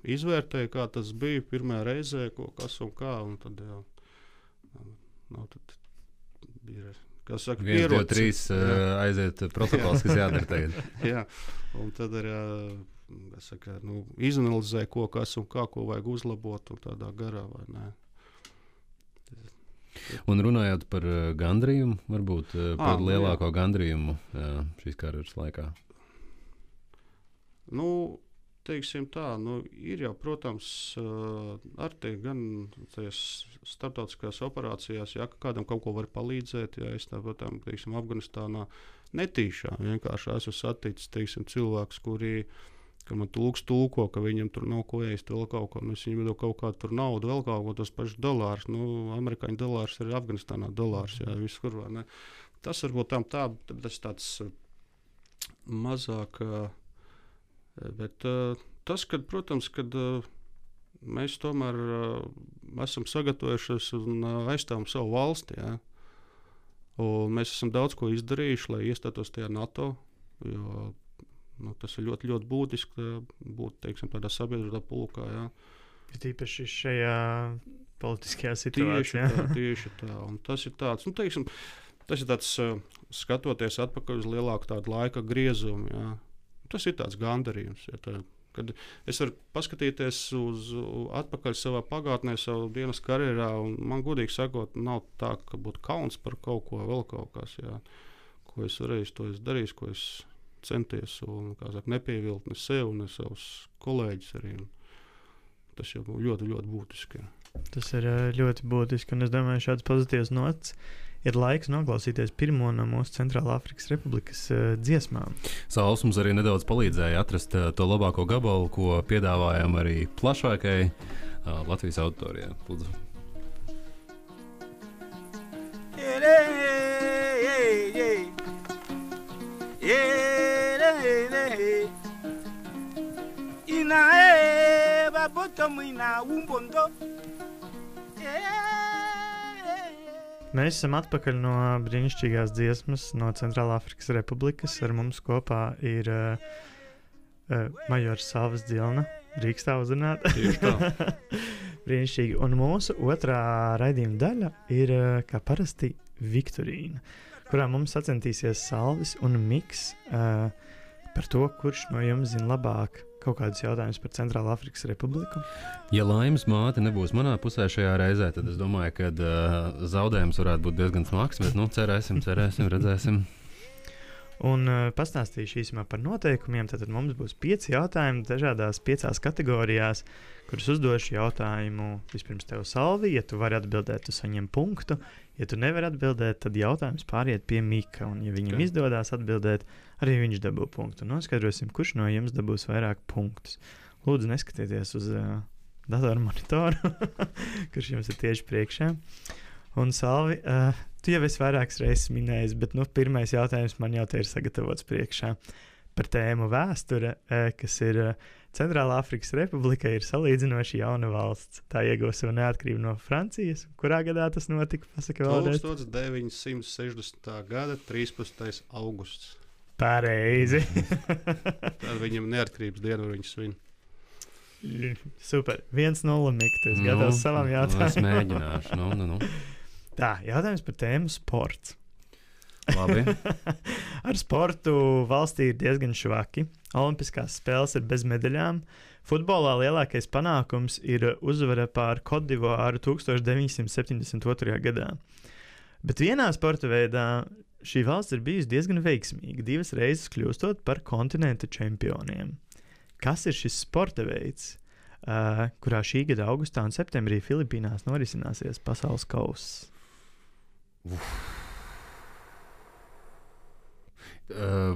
izvērtēja, kā tas bija pirmajā reizē, kas un kā. Un tad, jā. Tad bija, kā saka, 1, 2, 3 aiziet protokols, kas jādara tagad. Jā, un tad arī izanalizē, kas un kā, ko vajag uzlabot un tādā garā, vai ne. Un runājot par gandrījumu, varbūt par lielāko gandrījumu šīs karjeras laikā. Teiksim tā, ir jau, protams, ar tie gan starptautiskās operācijās, ja kādam kaut ko var palīdzēt, ja es tāpat, teiksim, Afganistānā netīšām, vienkārši esmu saticis, teiksim, cilvēkus, ka man tulko, ka viņam tur nav ko ēst, vēl kaut ko, es viņam vedu kaut kādu tur naudu, vēl kaut ko, tos pašus dolārus, amerikāņu dolārs ir Afganistānā dolārs, jā, visur, vai ne. Tas varbūt tas tāds mazāk. Bet tas, protams, kad mēs tomēr esam sagatavojušies un aizstāvam savu valsti, jā. Un mēs esam daudz ko izdarījuši, lai iestātos tajā NATO, jo tas ir ļoti, ļoti būtiski būt, teiksim, tādā sabiedrībā pulkā. Jā. Tīpaši šajā politiskajā situācijā. Tieši tā. Un tas ir tāds, teiksim, skatoties atpakaļ uz lielāku tādu laika griezumu, jā. Tas ir tāds gandarījums. Ja, kad es varu paskatīties atpakaļ savā pagātnē, savu dienas karjerā, un man godīgi sakot, nav tā, ka būtu kauns par kaut ko, vēl kaut kas, jā, ko es varēju, to es darīju, ko es centies, un, nepievilt ne sev, ne savus kolēģus arī. Tas jau ļoti, ļoti būtiski. Jā. Tas ir ļoti būtiski, un es domāju, šāds pozitīvs nots. Ir laiks noklausīties pirmo no mūsu Centrālāfrikas Republikas dziesmām. Sauls mums arī nedaudz palīdzēja atrast to labāko gabalu, ko piedāvājam arī plašākai Latvijas auditorijai. Lūdzu. Mēs esam atpakaļ no brīnišķīgās dziesmas no Centrālāfrikas Republikas. Ar mums kopā ir majors Salvis Dzilna. Drīkstā uzrunāt. Tieši tā. Brīnišķīgi. Un mūsu otrā raidījuma daļa ir, kā parasti, Viktorīna, kurā mums sacentīsies Salvis un Miks par to, kurš no jums zina labāk kaut kādus jautājumus par Centrālāfrikas Republiku. Ja laimes māte nebūs manā pusē šajā reizē, tad es domāju, ka zaudējums varētu būt diezgan smags, bet cerēsim, redzēsim. Un pastāstīšu īsumā par noteikumiem. Tad mums būs 5 jautājumi dažādās 5 kategorijās, kurus uzdošu jautājumu vispirms tev, Salvi. Ja tu vari atbildēt, tu saņem punktu. Ja tu nevari atbildēt, tad jautājums pāriet pie Mika. Un ja viņam izdodās atbildēt, arī viņš dabū punktu. Noskaidrosim, kurš no jums dabūs vairāk punktus. Lūdzu, neskatieties uz datoru monitoru, kurš jums ir tieši priekšā. Un Salvi, tu jau esi vairākas reizes minējis, bet pirmais jautājums man jau te ir sagatavots priekšā par tēmu vēsture, kas ir Centrālā Afrikas Republika ir salīdzinoši jauna valsts. Tā ieguva savu neatkarību no Francijas. Kurā gadā tas notika? Pasaka vēlreiz. 1960. gada 13. augusts. Pareizi. Tad viņam neatkarības dienu viņš svin. Super. 1-0 Mik, tu esi gatavs savam jautājumam. Es mēģināšu. Nu. Tā, jautājums par tēmu sports. Labi. Ar sportu valstī ir diezgan švaki. Olimpiskās spēles ir bez medaļām. Futbolā lielākais panākums ir uzvara pār Kodivāru 1972. gadā. Bet vienā sporta veidā šī valsts ir bijusi diezgan veiksmīga, 2 reizes kļūstot par kontinenta čempioniem. Kas ir šis sporta veids, kurā šī gada augustā un septembrī Filipīnās norisināsies pasaules kauss?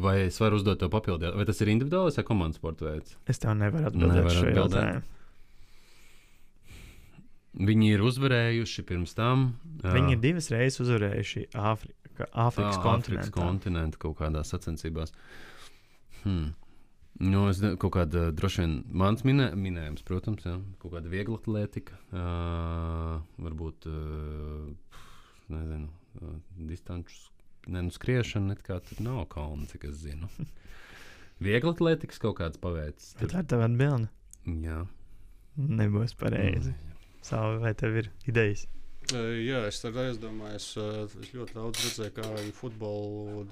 Vai es varu uzdot to papildu? Vai tas ir individuāls vai komandas sporta veids? Es tev nevaru atbildēt šo jautājumu. Viņi ir uzvarējuši pirms tam. Viņi ir 2 reizes uzvarējuši Āfrikas kontinentu kaut kādās sacensībās. Nu, es kaut kāda droši vien mans minējums, protams, jā. Kaut kāda viegla atlētika, varbūt, nezinu, distanču skriešana, net kā tur nav kalna, cik es zinu. Viegla atlētikas kaut kāds paveicis. Tā ir tava atbilde? Jā. Nebūs pareizi. Savu, vai tev ir idejas? Jā, es tad aizdomājos, es ļoti daudz redzēju, kā viņi futbolu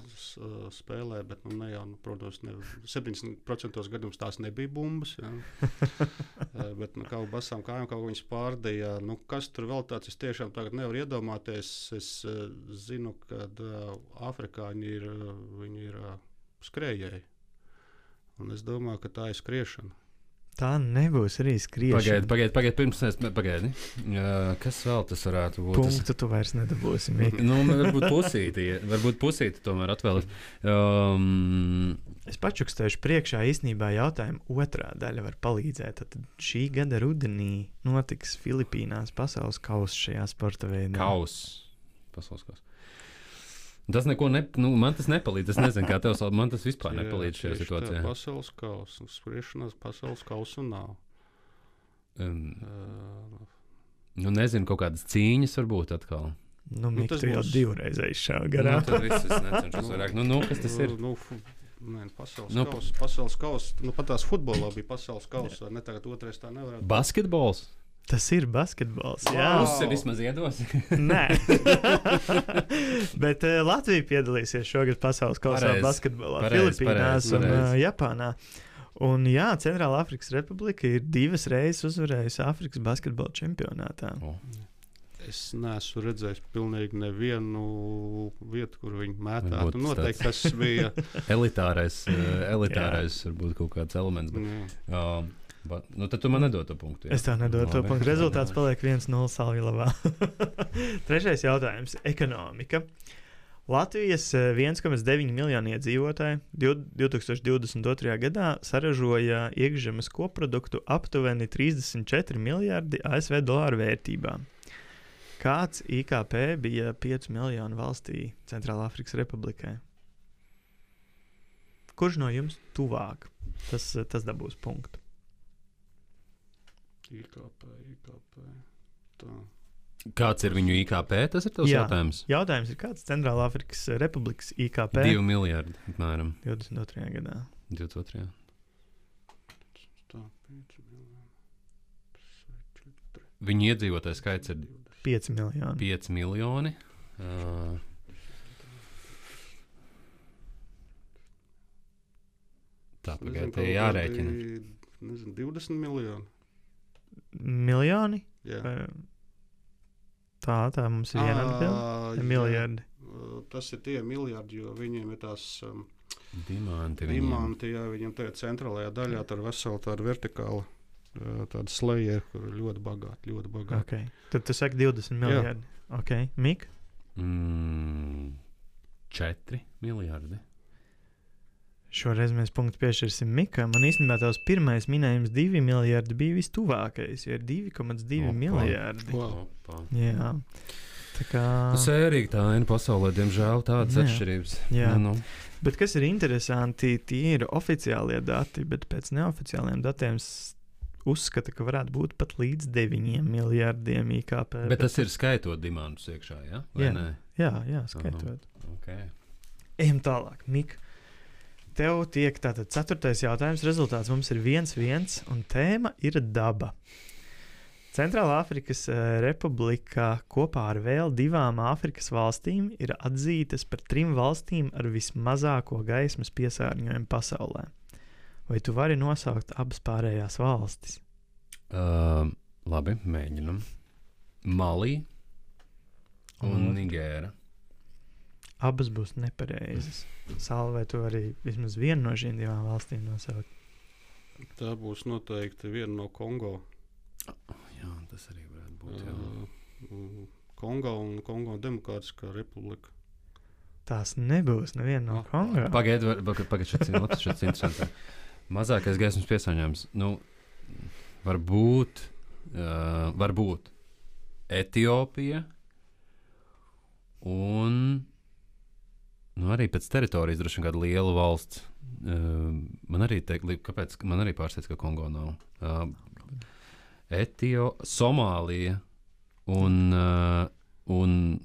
spēlē, bet ne jau, protams, 70% gadījumos tās nebija bumbas, jā. Bet kaut basām kājām kaut ko viņas pārdīja. Kas tur vēl tāds, es tiešām tagad nevaru iedomāties. Es zinu, ka Āfrikā viņi ir skrējēji. Un es domāju, ka tā ir skriešana. Tā nebūs arī skriešana. Pagaid, pirms es pagaidi. Kas vēl tas varētu būt? Punktu tu vairs nedabūsi. Varbūt pusīti tomēr atvēlēt. Es pačukstēšu priekšā īstenībā jautājumu otrā daļa var palīdzēt. Tad šī gada rudenī notiks Filipīnās pasaules kauss šajā sporta veidā. Pasaules kauss. Tas neko man tas nepalīdz. Es nezinu, kā tev man tas vispār nepalīdz šajā situācijā. Pasaules kausa. Spriešanās pasaules kausa nav. Nezinu, kaut kādas cīņas varbūt atkal. Mik, tu jau 2 reizes šā garā. Tad viss es necenšos vairāk. Kas tas ir? Pasaules kausa. Pat tās futbolā bija pasaules kausa. Ne tagad otrais tā nevarētu. Basketbols? Tas ir basketbols. Jā, Pusi vismaz iedos. Nē, bet Latvija piedalīsies šogad pasaules kausā basketbolā, Filipīnās un Japānā. Un jā, Centrālā Afrikas Republika ir 2 reizes uzvarējusi Āfrikas basketbola čempionātā. Es neesmu redzējis pilnīgi nevienu vietu, kur viņi mētātu. Noteikti tas bija elitārais varbūt kaut kāds elements. Bet, tad tu man nedod to punktu. Jā. Es tev nedodu to punktu. Rezultāts paliek 1-0 Salvilavā. Trešais jautājums - ekonomika. Latvijas 1,9 miljonu iedzīvotāji 2022. gadā saražoja iekšzemes koproduktu aptuveni 34 miljardi ASV dolāru vērtībā. Kāds IKP bija 5 miljonu valstī Centrālā Afrikas Republikai? Kurš no jums tuvāk? Tas dabūs punktu. IKP. Tā. Kāds ir viņu IKP? Tas ir tavs jautājums. Jautājums ir, kāds Centrālā Afrikas Republikas IKP? 2 miljardi, apmēram. 22. gadā. 22. Tā, 5 miljoni. Viņu iedzīvotāju skaits ir 5 miljoni. 5 miljoni. Tā, pagaid, te jārēķina. 20 miljoni. Miljoni? Jā. Tā mums ir viena atbilde. Miljardi. Tas ir tie miljardi, jo viņiem ir tās dimanti. Jā, viņiem tajā centrālajā daļā tur vesela tāda vertikāla tāda sleja, kur ir ļoti bagāti. Okay. Tad tu saki 20 miljardi. Okay. Mik? 4 miljardi. Šoreiz mēs punktu piešķirsim Mikam. Man īstenībā tavs pirmais minējums 2 miljardi bija vistuvākais, jo ir 2,2 miljardi. Jā. Tā kā... Sērīgi tā aina pasaulē, diemžēl, tādas atšķirības. Jā. Bet kas ir interesanti, tie ir oficiālie dati, bet pēc neoficiāliem datiem uzskata, ka varētu būt pat līdz 9 miljardiem IKP. Bet tas ir skaitot dimandus iekšā, ja? Vai nē? Jā, skaitot. Okay. Ejam tālāk, Mika. Tev tiek tātad 4. jautājums. Rezultāts mums ir 1-1, un tēma ir daba. Centrālā Afrikas Republika kopā ar vēl 2 Āfrikas valstīm ir atzītas par 3 valstīm ar vismazāko gaismas piesārņojumu pasaulē. Vai tu vari nosaukt abas pārējās valstis? Labi, mēģinam. Mali un Nigēra. Abas būs nepareizas. Sāli, vai tu vari vismaz vienu no šīm 2 valstīm nosaukt? Tā būs noteikti viena no Kongo. Jā, tas arī varētu būt. Kongo un Kongo Demokrātiskā republika. Tās nebūs neviena no Kongo. Pagaid, šis interesants. Mazākais gaismas piesārņojums. Varbūt Etiopija un arī pēc teritorijas droši vien kāda liela valsts. Man arī kāpēc man arī pārsteidz, ka Kongo nav. Somālija un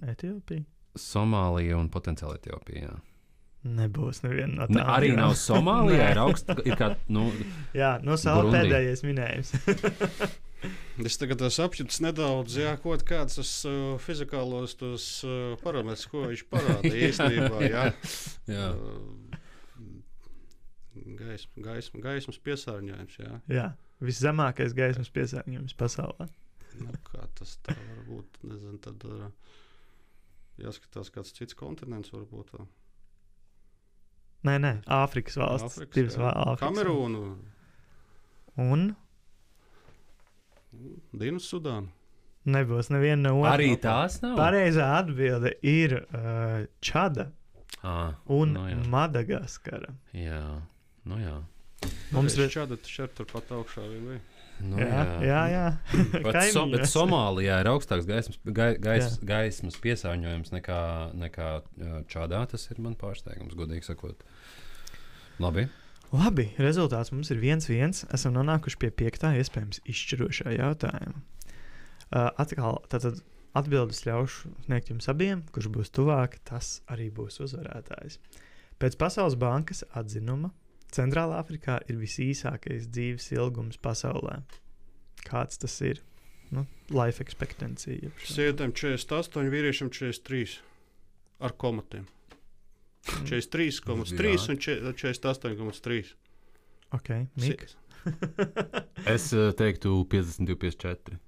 Etiopija? Somālija un potenciāli Etiopija. Nebūs neviena no tām. Arī nav Somālijā, ir kā, Jā, Sāli pēdējais minējums. Es tagad apšķirts nedaudz, kaut kāds fizikālos tos parametrus, ko viņš parāda īstenībā, jā. Gaismas piesārņojums, jā. Jā, viszemākais gaismas piesārņojums pasaulē. Kā tas tā var būt, nezinu, tad jāskatās kāds cits kontinents varbūt. Nē, Āfrikas valsts. Kamerūnu. Un? Dienas Sudānu. Nebūs neviena no otrām. Arī tās nav? Pareizā atbilde ir Čada un Madagaskara. Jā. Mums ir Čada šeit turpat augšā vien vai? Jā. Bet Somālijā ir augstāks gaismas piesārņojums nekā Čadā. Tas ir man pārsteigums, godīgi sakot. Labi, rezultāts mums ir 1-1. Esam nonākuši pie 5. iespējams izšķirošā jautājuma. Atkal tātad atbildes ļaušu sniegt jums abiem, kurš būs tuvāk, tas arī būs uzvarētājs. Pēc Pasaules bankas atzinuma Centrālā Afrikā ir visīsākais dzīves ilgums pasaulē. Kāds tas ir? Life expectancy. Sievietēm 48, vīriešiem 43 ar komatiem. 43,3 un 48,3. Ok, Mika. Es teiktu 52, 54.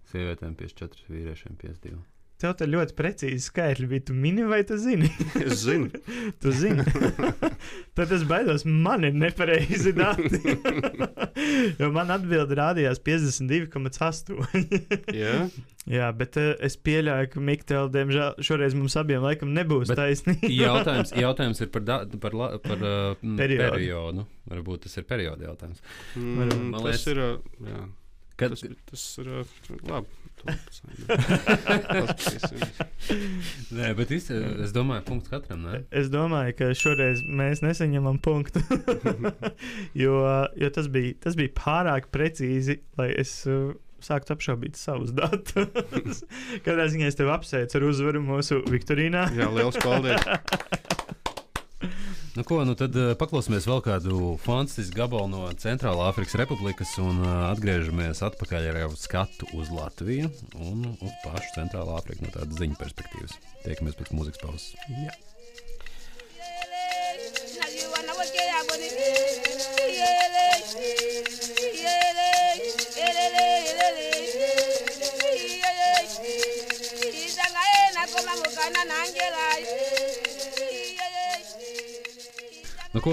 Sievietēm 54, vīriešiem 52. Tev te ļoti precīzi skaitļi bija. Tu mini vai tu zini? Es zinu. Tu zini. Tad es baidos, man ir nepareizi dati. Jo man atbilde rādījās 52,8. Jā, bet es pieļauju, ka Mikteļ, diemžēl, šoreiz mums abiem laikam nebūs taisnība. Jautājums ir par periodu. Varbūt tas ir perioda jautājums. Tas ir, jā. Tas ir labi. Nē, bet es domāju, punkts katram. Ne? Es domāju, ka šoreiz mēs nesaņemam punktu. jo tas bija pārāk precīzi, lai es sāktu apšaubīt savus datus. Katrā ziņā es tevi apsveicu ar uzvaru mūsu viktorīnā. Jā, liels paldies! Tad paklausīsimies vēl kādu fantastisku gabalu no Centrālā Afrikas Republikas un atgriežamies atpakaļ ar jau skatu uz Latviju un uz pašu Centrālā Afriku no tādas ziņu perspektīvas. Tiekamies pēc mūzikas pauzes. Jā.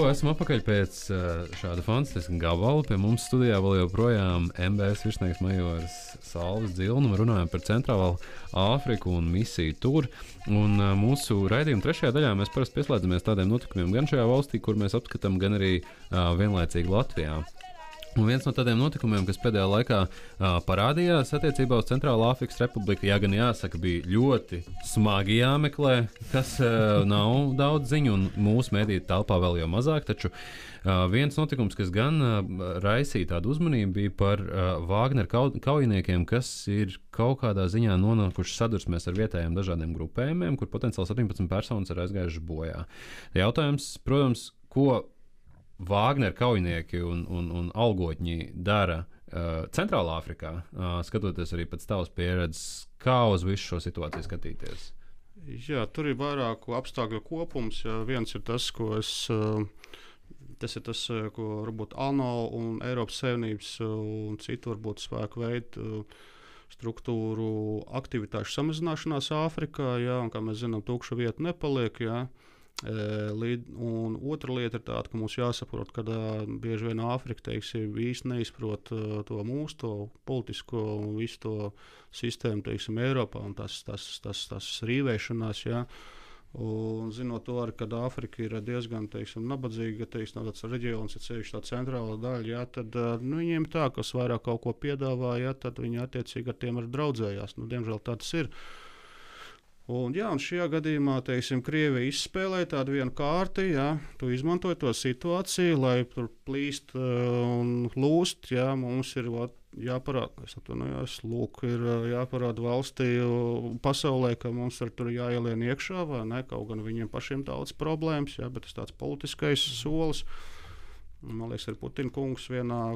Esam atpakaļ pēc šāda fantastiska gabala. Pie mums studijā vēl joprojām MBS virsnieks majors Salvis Dzilnum. Runājam par Centrālo Āfriku un misiju tur. Un mūsu raidījuma 3. daļā mēs parasti pieslēdzamies tādiem notikumiem gan šajā valstī, kur mēs apskatām, gan arī vienlaicīgi Latvijā. Un viens no tādiem notikumiem, kas pēdējā laikā parādījās attiecībā uz Centrālā Āfrikas Republiku, gan jāsaka, bija ļoti smagi jāmeklē, kas nav daudz ziņu, un mūsu mediju telpā vēl jau mazāk. Taču viens notikums, kas gan raisīja tādu uzmanību, bija par Wagner kaujiniekiem, kas ir kaut kādā ziņā nonākuši sadursmēs ar vietējiem dažādiem grupējumiem, kur potenciāli 17 personas ir aizgājušas bojā. Jautājums, protams, ko Wagner kaujinieki un algotņi dara Centrālā Āfrikā, skatoties arī pēc tavas pieredzes, kā uz visu šo situāciju skatīties? Jā, tur ir vairāku apstākļu kopums. Jā. Viens ir tas, ko varbūt ANO un Eiropas Savienības un citu varbūt spēku veidu struktūru aktivitāšu samazināšanās Āfrikā, jā, un kā mēs zinām, tukša vieta nepaliek. Jā. Un otra lieta ir tāda, ka mums jāsaprot, ka bieži vien Āfrika īsti neizprot to mūsu politisko un visu to sistēmu, Eiropā, un tas rīvēšanās. Ja. Un zinot to arī, ka Āfrika ir diezgan nabadzīga, tāds reģions, ir ceļš tā centrālā daļa, ja, tad viņiem tā, kas vairāk kaut ko piedāvā, ja, tad viņi attiecīgi ar tiem arī draudzējās. Diemžēl tā tas ir. Un šajā gadījumā, Krievija izspēlēja tādu vienu kārti, ja, tu izmantoji to situāciju, lai tur plīst un lūst, ja, mums ir jāparāda, ir jāparāda valstī pasaulē, ka mums tur jāielien iekšā, vai ne, kaut gan viņiem pašiem daudz problēmas, ja, bet tas tāds politiskais solis. Man liekas, ar Putina kungs vienā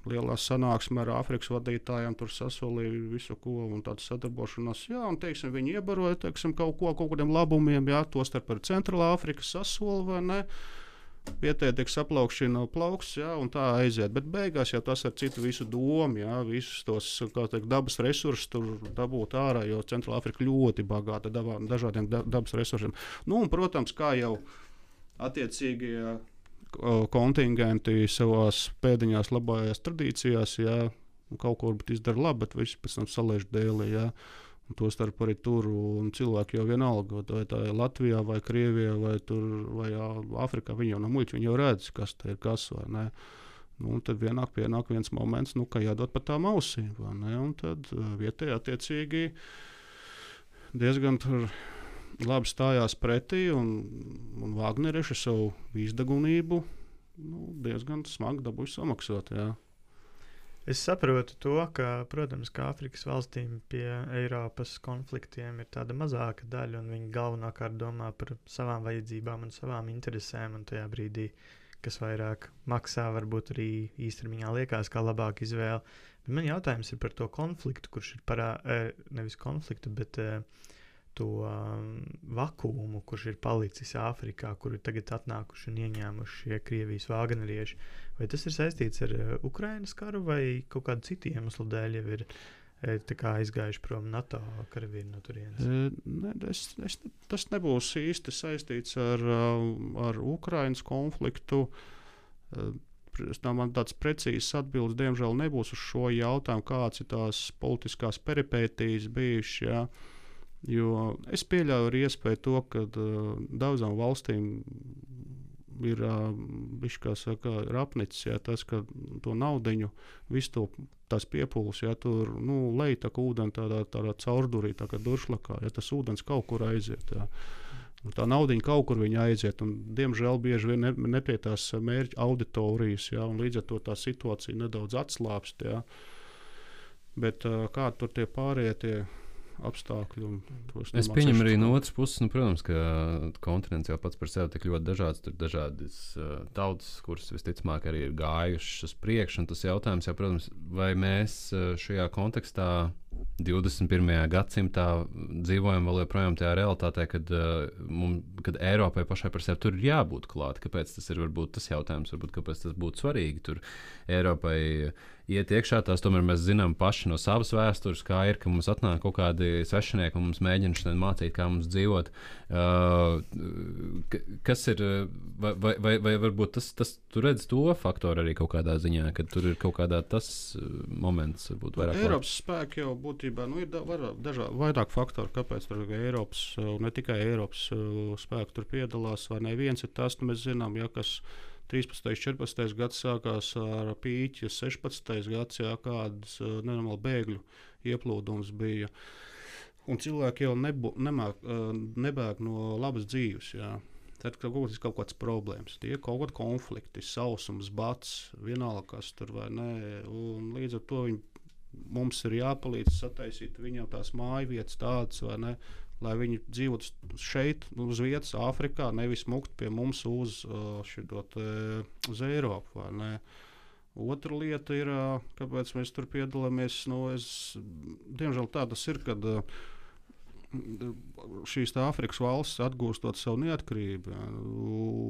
lielā sanāksmē ar Āfrikas vadītājiem tur sasolīja visu ko un tādu sadarbošanos. Jā, un viņi iebaroja kaut kādiem labumiem, jā, tostarp ar Centrālā Āfrikas sasoli, vai ne? Vietēji tiek saplaukšana plauksts, jā, un tā aiziet. Bet beigās jau tas ar citu visu domu, jā, visus tos dabas resursus tur dabūt ārā, jo Centrālā Āfrika ļoti bagāta dažādiem dabas resursiem. Un, protams, kā jau attiecīgie kontingenti savās pēdiņās labājās tradīcijās, jā, kaut ko varbūt izdara labi, bet visi pēc tam saliež dēlī, jā. Un tostarp arī tur, un cilvēki jau vienalga, vai tā ir Latvijā, vai Krievijā, vai Āfrikā, viņi jau nav muļķi, viņi jau redz, kas te ir kas, vai ne. Un tad pienāk viens moments, ka jādod pa tām ausīm, vai ne, un tad vietēji attiecīgi diezgan tur labi stājās pretī, un Vagnereši savu izdegunību diezgan smagi dabūja samaksāt. Jā. Es saprotu to, ka, protams, ka Āfrikas valstīm pie Eiropas konfliktiem ir tāda mazāka daļa, un viņi galvenokārt domā par savām vajadzībām un savām interesēm, un tajā brīdī, kas vairāk maksā, varbūt arī īstermiņā liekas kā labāka izvēle. Bet man jautājums ir par to konfliktu, kurš ir nevis konfliktu, bet to vakuumu, kurš ir palicis Āfrikā, kur ir tagad atnākuši un ieņēmuši šie Krievijas vāgnerieši. Vai tas ir saistīts ar Ukrainas karu vai kaut kādu citu iemeslu dēļ jau ir aizgājuši prom NATO karavīri no turienes? Tas nebūs īsti saistīts ar Ukrainas konfliktu. Man tāds precīzs atbildes diemžēl nebūs uz šo jautājumu, kāds ir tās politiskās peripētijas bijušas. Ja. Jo es pieļauju ar iespēju to, ka daudzām valstīm ir apnicis, ja, tas, ka to naudiņu, visu tās piepūles, ja, tur lej tā kā ūdeni tādā caurdurī, tā kā duršlakā, ja tas ūdens kaut kur aiziet. Ja. Tā naudiņa kaut kur viņa aiziet, un diemžēl bieži vien nepie tās mērķa auditorijas, ja, un līdz ar to tā situācija nedaudz atslāpst. Ja. Bet kā tur tie pārējie tie apstākļi. Es pieņemu arī no otras puses, protams, ka kontinents jau pats par sevi tik ļoti dažāds. Tur ir dažādas tautas, kuras visticamāk arī ir gājušas uz priekšu. Tas jautājums, jau, protams, vai mēs šajā kontekstā 21. gadsimtā dzīvojam vēl joprojām tajā realitātē, kad Eiropai pašai par sevi tur ir jābūt klāt. Kāpēc tas ir varbūt tas jautājums, kāpēc tas būtu svarīgi tur Eiropai iet iekšā. Tās tomēr mēs zinām paši no savas vēstures, kā ir, ka mums atnāk kaut kādi svešinieki un mums mēģina šodien mācīt, kā mums dzīvot. Kas ir, vai varbūt tas tu redz to faktoru arī kaut kādā ziņā, kad tur ir kaut kādā tas moments, varbūt vairāk. Eiropas spēki jau būtībā ir vairāk faktoru, kāpēc tur Eiropas, ne tikai Eiropas spēki tur piedalās, vai ne. Viens ir tas, mēs zinām, ja, kas 13. 14. gads sākās ar pīķi, 16. gads, jā, kādas nenormāli bēgļu ieplūdums bija. Un cilvēki jau nebēg no labas dzīves. Jā. Tad kaut kāds problēmas, tie kaut kādi konflikti, sausums, bats, vienalga kas tur vai nē. Un līdz ar to mums ir jāpalīdz sataisīt viņiem tās mājvietas tādas, vai ne, lai viņi dzīvotu šeit, uz vietas, Āfrikā, nevis mukt pie mums uz Eiropu. Vai ne. Otra lieta ir, kāpēc mēs tur piedalāmies. Diemžēl tā tas ir, kad šīs Āfrikas valstis atgūstot savu neatkarību,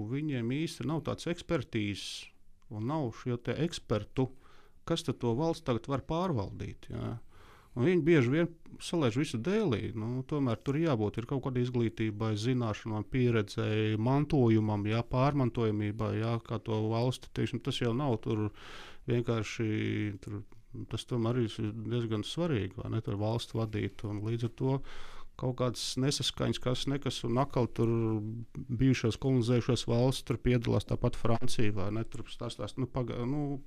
viņiem īsti nav tāds ekspertīzes un nav šo te ekspertu, kas tad to valsts tagad var pārvaldīt. Jā. Un viņi bieži vien salaiž visu dēlī. Tomēr tur jābūt ir kaut kādai izglītībai, zināšanām, pieredzei, mantojumam, jā, pārmantojamībai, jā, kā to valsti. Teiksim, tas jau nav tur vienkārši, tas tomēr ir diezgan svarīgi, vai ne, tur valsts vadīt. Un līdz ar to kaut kādas nesaskaņas, nekas, un atkal tur bijušās kolonizējušās valsts tur piedalās, tāpat Francija, vai ne, tur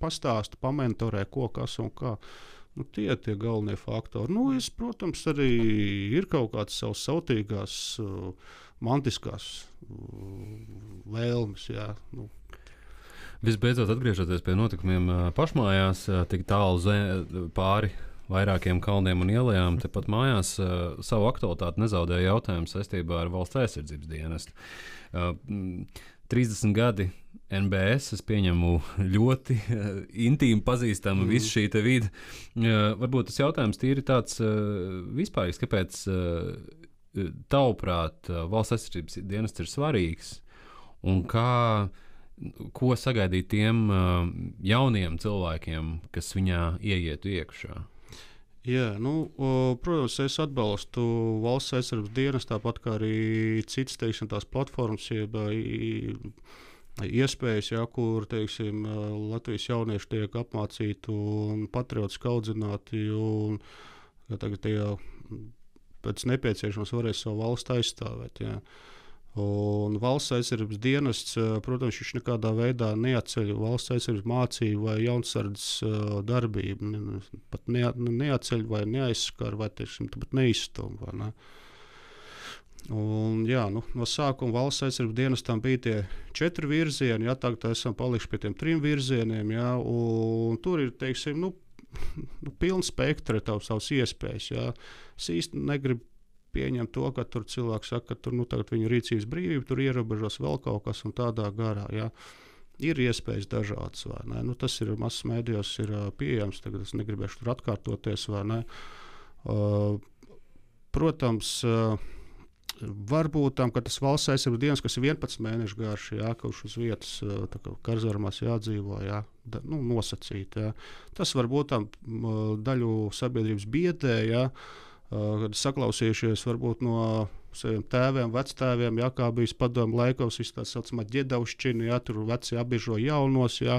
pastāsta, pamentorē, ko, kas un kā. Tie galvenie faktori. Protams, arī ir kaut kādas savas sautīgās, mantiskās vēlmes, jā. Visbeidzot, atgriežoties pie notikumiem pašmājās, tik tālu pāri vairākiem kalniem un ielām, tepat mājās savu aktualitāti nezaudēja jautājums saistībā ar valsts aizsardzības dienestu. 30 gadi NBS, es pieņemu ļoti intīmi pazīstama visu šī te vide. Varbūt tas jautājums tīri tāds vispārīgs, kāpēc tavuprāt valsts aizsardzības dienests ir svarīgs un ko sagaidīt tiem jauniem cilvēkiem, kas viņā ieietu iekšā? Jā, protams, es atbalstu valsts aizsardzības dienestu, tāpat kā arī citas, teiksim, tās platformas, iespējas, jā, kur, teiksim, Latvijas jaunieši tiek apmācīti un patriotiski audzināti, un tagad pēc nepieciešams varēs savu valstu aizstāvēt. Jā. Un valsts aizsardzības dienests, protams, viņš nekādā veidā neatceļ valsts aizsardzības mācību vai jaunsardzes darbību. Pat neatceļ vai neaizskar vai, teiksim, pat neizstum. Vai ne? Un, jā, no sākuma valsts aizsardzības dienestam bija tie 4 virzieni, jā, tagad esam palikuši pie tiem 3 virzieniem, jā, un tur ir, teiksim, pilns spektra savas iespējas. Jā. Es īsti negribu pieņemt to, ka tur cilvēks saka, ka tur, tagad viņu rīcības brīvība, tur ierobežos vēl kaut kas un tādā garā. Jā. Ir iespējas dažādas, vai ne? Tas ir masas mēdījos ir pieejams, tagad es negribēšu tur atkārtoties, vai ne? Protams, varbūt tam, ka tas valsts aizsardzības dienas, kas ir 11 mēnešu garš, jā, kurš uz vietas karzarmās jādzīvo, jā, nosacīt. Jā. Tas varbūt tam daļu sabiedrības biedē, jā, kad saklausījušies varbūt no saviem tēviem, vectēviem, jā, kā bijis padomu laikos, tā saucamā ģedaušķina, jā, tur veci apbiežo jaunos, jā,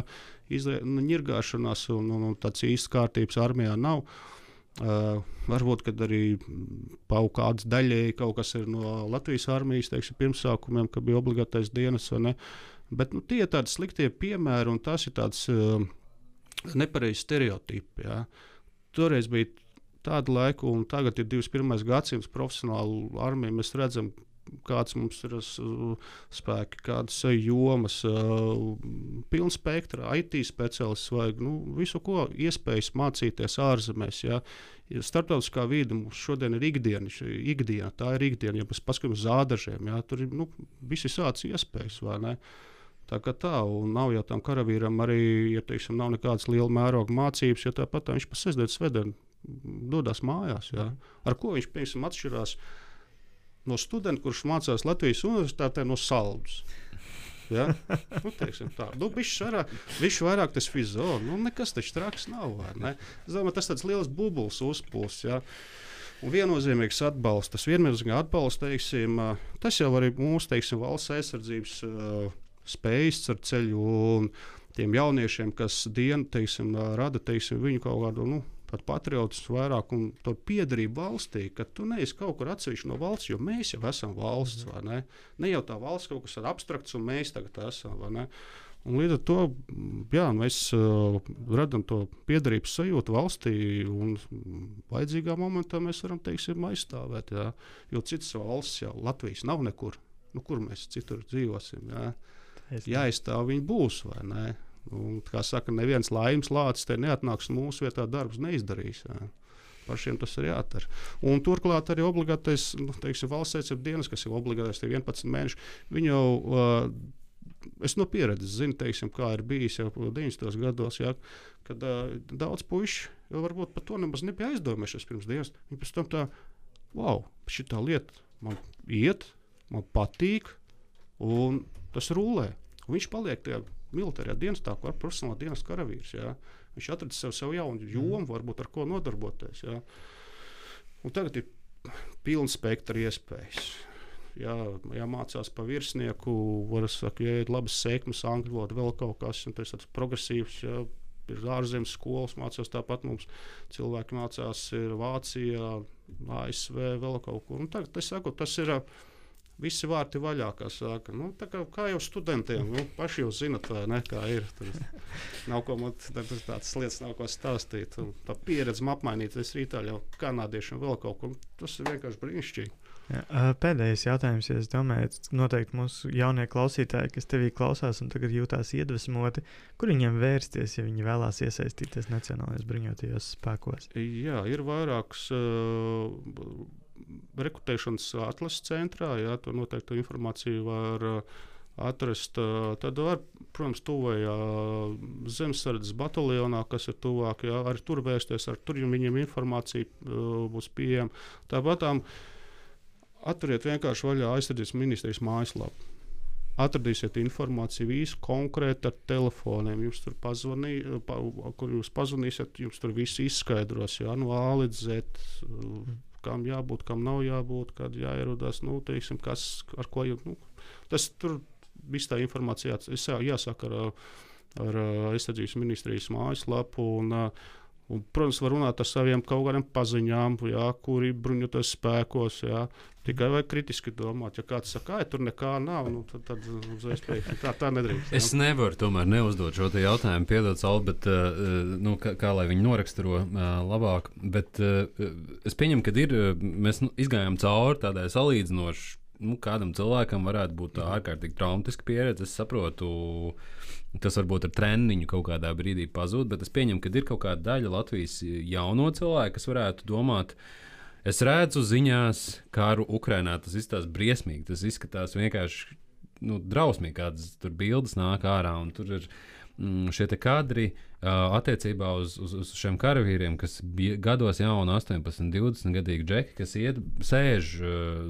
ņirgāšanās un tāds īsts kārtības armijā nav. Varbūt, kad arī kāds daļēji kaut kas ir no Latvijas armijas, teiksim, pirmsākumiem, ka bija obligātais dienas, vai ne, bet tie ir tādi sliktie piemēri un tas ir tāds nepareizs stereotipi, jā. Toreiz bija tādu laiku, un tagad ir 21. gadsimts profesionālu armiju. Mēs redzam, kāds mums ir spēki, kādas jomas, pilns spektra, IT speciālists vajag, visu, ko iespējas mācīties ārzemēs. Jā. Starptautiskā vide mums šodien ir ikdiena, tā ir ikdiena, ja mēs paskatāmies uz ādažiem, jā, tur ir visi sāc iespējas, vai ne? Tā kā tā, un nav jau tam karavīram arī, ja teiksim, nav nekādas liela mēroga mācības, jo tāpat viņš pa sestdienas svētdienu dodas mājās. Jā. Ar ko viņš, piemēram, atšķirās no studenta, kurš mācās Latvijas universitātē no Saldus. Ja? Teiksim tā. Viņš vairāk tas fizio, nekas taču traks nav. Ne? Domāju, tas tāds liels bubulis uzpūs. Ja? Un viennozīmīgs atbalsts. Tas viennozīmīgi atbalsts, teiksim, tas jau arī mūsu, teiksim, valsts aizsardzības spējas ar ceļu un tiem jauniešiem, kas dienu, teiksim, rada, teiksim, viņu kaut kādu, pat patriotismu vairāk un to piederību valstī, ka tu neesi kaut kur atsevišķi no valsts, jo mēs jau esam valsts, vai ne? Ne jau tā valsts kaut kas abstrakts un mēs tagad esam, vai ne? Un līdz ar to mēs radām to piederības sajūtu valstī, un vajadzīgā momentā mēs varam, aizstāvēt. Jā. Jo citas valsts, Latvijas nav nekur. Kur mēs citur dzīvosim? Jā. Jāizstāv viņi būs, vai ne? Un, kā saka, neviens laimes lācis te neatnāks mūsu vietā, darbs neizdarīs. Jā. Pašiem tas ir jādara. Un turklāt arī obligātais valsts aizsardzības dienas, kas ir obligātais 11 mēneši, viņi jau. Es no pieredzes zinu, kā ir bijis jau 90. gados, kad daudz puiši jau varbūt par to nemaz nebija aizdomējušies pirms dienas. Viņi pēc tam tā, šitā lieta man iet, man patīk, un tas rulē. Un viņš paliek tajā militārajā dienestā, kā profesionālā dienas karavīrs. Jā. Viņš atradis sev jaunu jomu, varbūt ar ko nodarboties. Jā. Un tagad ir pilns spektra iespējas. Mācās pa virsnieku, ir labas sekmes, angļu valoda, vēl kaut kas, un tas ir progresīvs. Ir ārzemes skolas, mācās tāpat mums. Cilvēki mācās Vācijā, ASV, vēl kaut kur. Un tagad, tas ir visi vārti vaļā, kā saka. Kā jau studentiem, paši jau zinat, vai ne, kā ir. Nav ko man tādas lietas nav ko stāstīt. Un tā pieredze apmainīties rītā jau kanādiešiem vēl kaut kur. Tas ir vienkārši brīnišķīgi. Pēdējais jautājums, ja es domāju, noteikti mūsu jaunie klausītāji, kas tevī klausās un tagad jūtās iedvesmoti, kur viņiem vērsties, ja viņi vēlās iesaistīties Nacionālajos bruņotajos spēkos? Jā, ir vairākas rekrutēšanas atlases centrā, tur noteikti informāciju var atrast. Tad var, protams, tuvajā zemesardzes bataljonā, kas ir tuvāk, arī tur vērsties, tur viņiem informācija būs pieejama. Tāpatām atveriet vienkārši vaļā aizsardzības ministrijas mājaslapu. Atradīsiet informāciju visu konkrēti ar telefoniem. Jums tur kur jūs pazvanīsiet, jums tur viss izskaidros, no A līdz Z, kam jābūt, kam nav jābūt, kad jāierodās, kas, ar ko tas tur viss tā informācija jāsāk ar aizsardzības ministrijas mājaslapu. Un, protams, var runāt ar saviem kaut kādiem paziņām, kuri bruņoties spēkos. Tikai vajag kritiski domāt. Ja kāds saka, tur nekā nav, tad uzreiz teikt, tā nedrīkst. Es nevaru tomēr neuzdot šo jautājumu, piedod, Saul, bet kā lai viņi noraksturo labāk. Bet es pieņemu, ka mēs izgājām cauri tādai salīdzinoši. Kādam cilvēkam varētu būt tā ārkārtīgi traumatiska pieredze. Es saprotu, tas varbūt ar treniņu kaut kādā brīdī pazūd, bet es pieņemu, ka ir kaut kāda daļa Latvijas jauno cilvēku, kas varētu domāt, es redzu ziņās karu Ukrainā, tas izskatās briesmīgi, tas izskatās vienkārši drausmīgi, kādas tur bildes nāk ārā, un tur ir šie kadri attiecībā uz šiem karavīriem, kas bija gados jauni 18, 20 gadīgi džeki, kas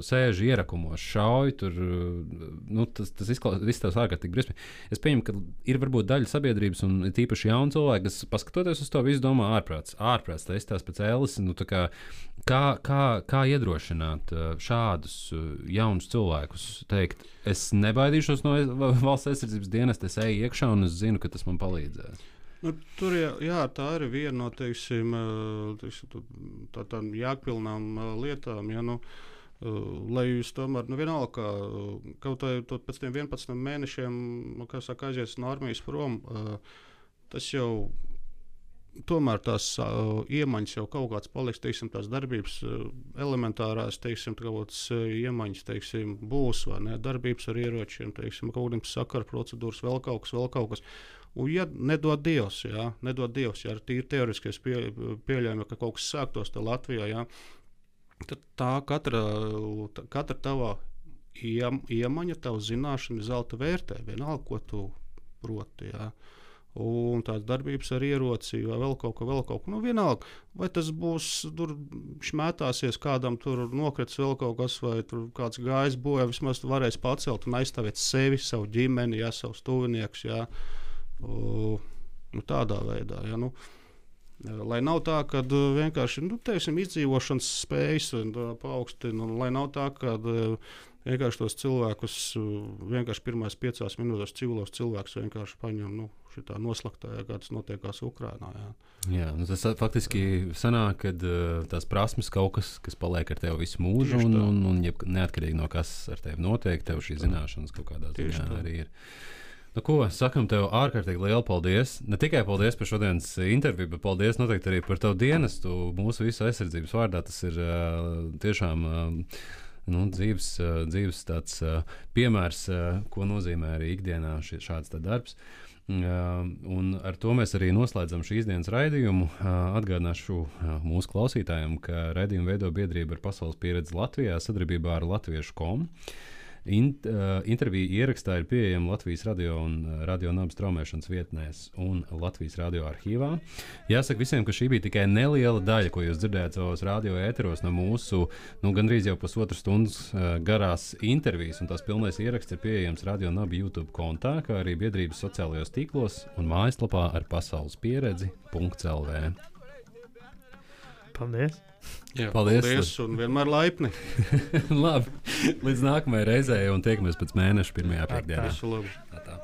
sēž ierakumos, šauj tur, tas izskatās ārkārtīgi briesmīgi. Es pieņemu, ka ir varbūt daļa sabiedrības un tīpaši jauni cilvēki, kas paskatoties uz to visu domā ārprāts, tā izskatās pēc ēles, kā iedrošināt šādus jaunus cilvēkus teikt, es nebaidīšos no valsts aizsardzības dienesta, es eju iekšā un es zinu, ka tas man palīdzēs. Tur tā ir viena no tādām jēgpilnām lietām. Lai jūs tomēr, vienalga, kaut pēc tiem 11 mēnešiem, aizies no armijas prom, tas jau tomēr tās iemaņas jau kaut kāds paliks, tās darbības elementārās, iemaņas, būs, vai ne, darbības ar ieročiem, kaut kādiem sakaru procedūras, vēl kaut kas. Un, ja nedod Dievs, ja ar tīri teoretiskais pieļaujumi, ka kaut kas sāktos te Latvijā, tad tā katra tava iemaņa, tava zināšana ir zelta vērtē, vienalga, ko tu proti. Ja. Un tās darbības ar ieroci, vai vēl kaut ko. Vienalga, vai tas būs, tur šmētāsies, kādam tur nokrits vēl kaut kas, vai tur kāds gājis bojā, vismaz varēs pacelt un aizstāvēt sevi, savu ģimeni, savus tuviniekus. Tādā veidā. Lai nav tā, ka vienkārši izdzīvošanas spējas paaugstina, lai nav tā, ka vienkārši tos cilvēkus vienkārši pirmās 5 minūtēs civilos cilvēkus vienkārši paņem šitā noslaktā, kā tas notiekās Ukrainā. Jā, tas faktiski sanāk, ka tās prasmes kaut kas paliek ar tevi visu mūžu, un neatkarīgi no kas ar tevi notiek, tev šī zināšanas kaut kādā ziņā arī ir. Nu, ko sakam tev ārkārtīgi lielu paldies. Ne tikai paldies par šodienas interviju, bet paldies noteikti arī par tavu dienestu. Mūsu visu aizsardzības vārdā tas ir tiešām dzīves tāds piemērs, ko nozīmē arī ikdienā šāds darbs. Un ar to mēs arī noslēdzam šīs dienas raidījumu. Atgādināšu mūsu klausītājiem, ka raidījumu veido biedrība ar pasaules pieredzi Latvijā sadarbībā ar Latviešu.com. Interviju ierakstā ir pieejama Latvijas radio un radio nabas traumēšanas vietnēs un Latvijas radio arhīvā. Jāsaka visiem, ka šī bija tikai neliela daļa, ko jūs dzirdējāt savos radio ēteros no mūsu gandrīz jau pusotru stundas garās intervijas, un tās pilnais ieraksts ir pieejams Radio Naba YouTube kontā, kā arī biedrības sociālajos tīklos un mājaslapā ar pasaulespieredzi.lv. Paldies! Jā, paldies un vienmēr laipni. Labi, līdz nākamajai reizei un tiekamies pēc mēneša 1. pēcdienā. Visu labu. Tā.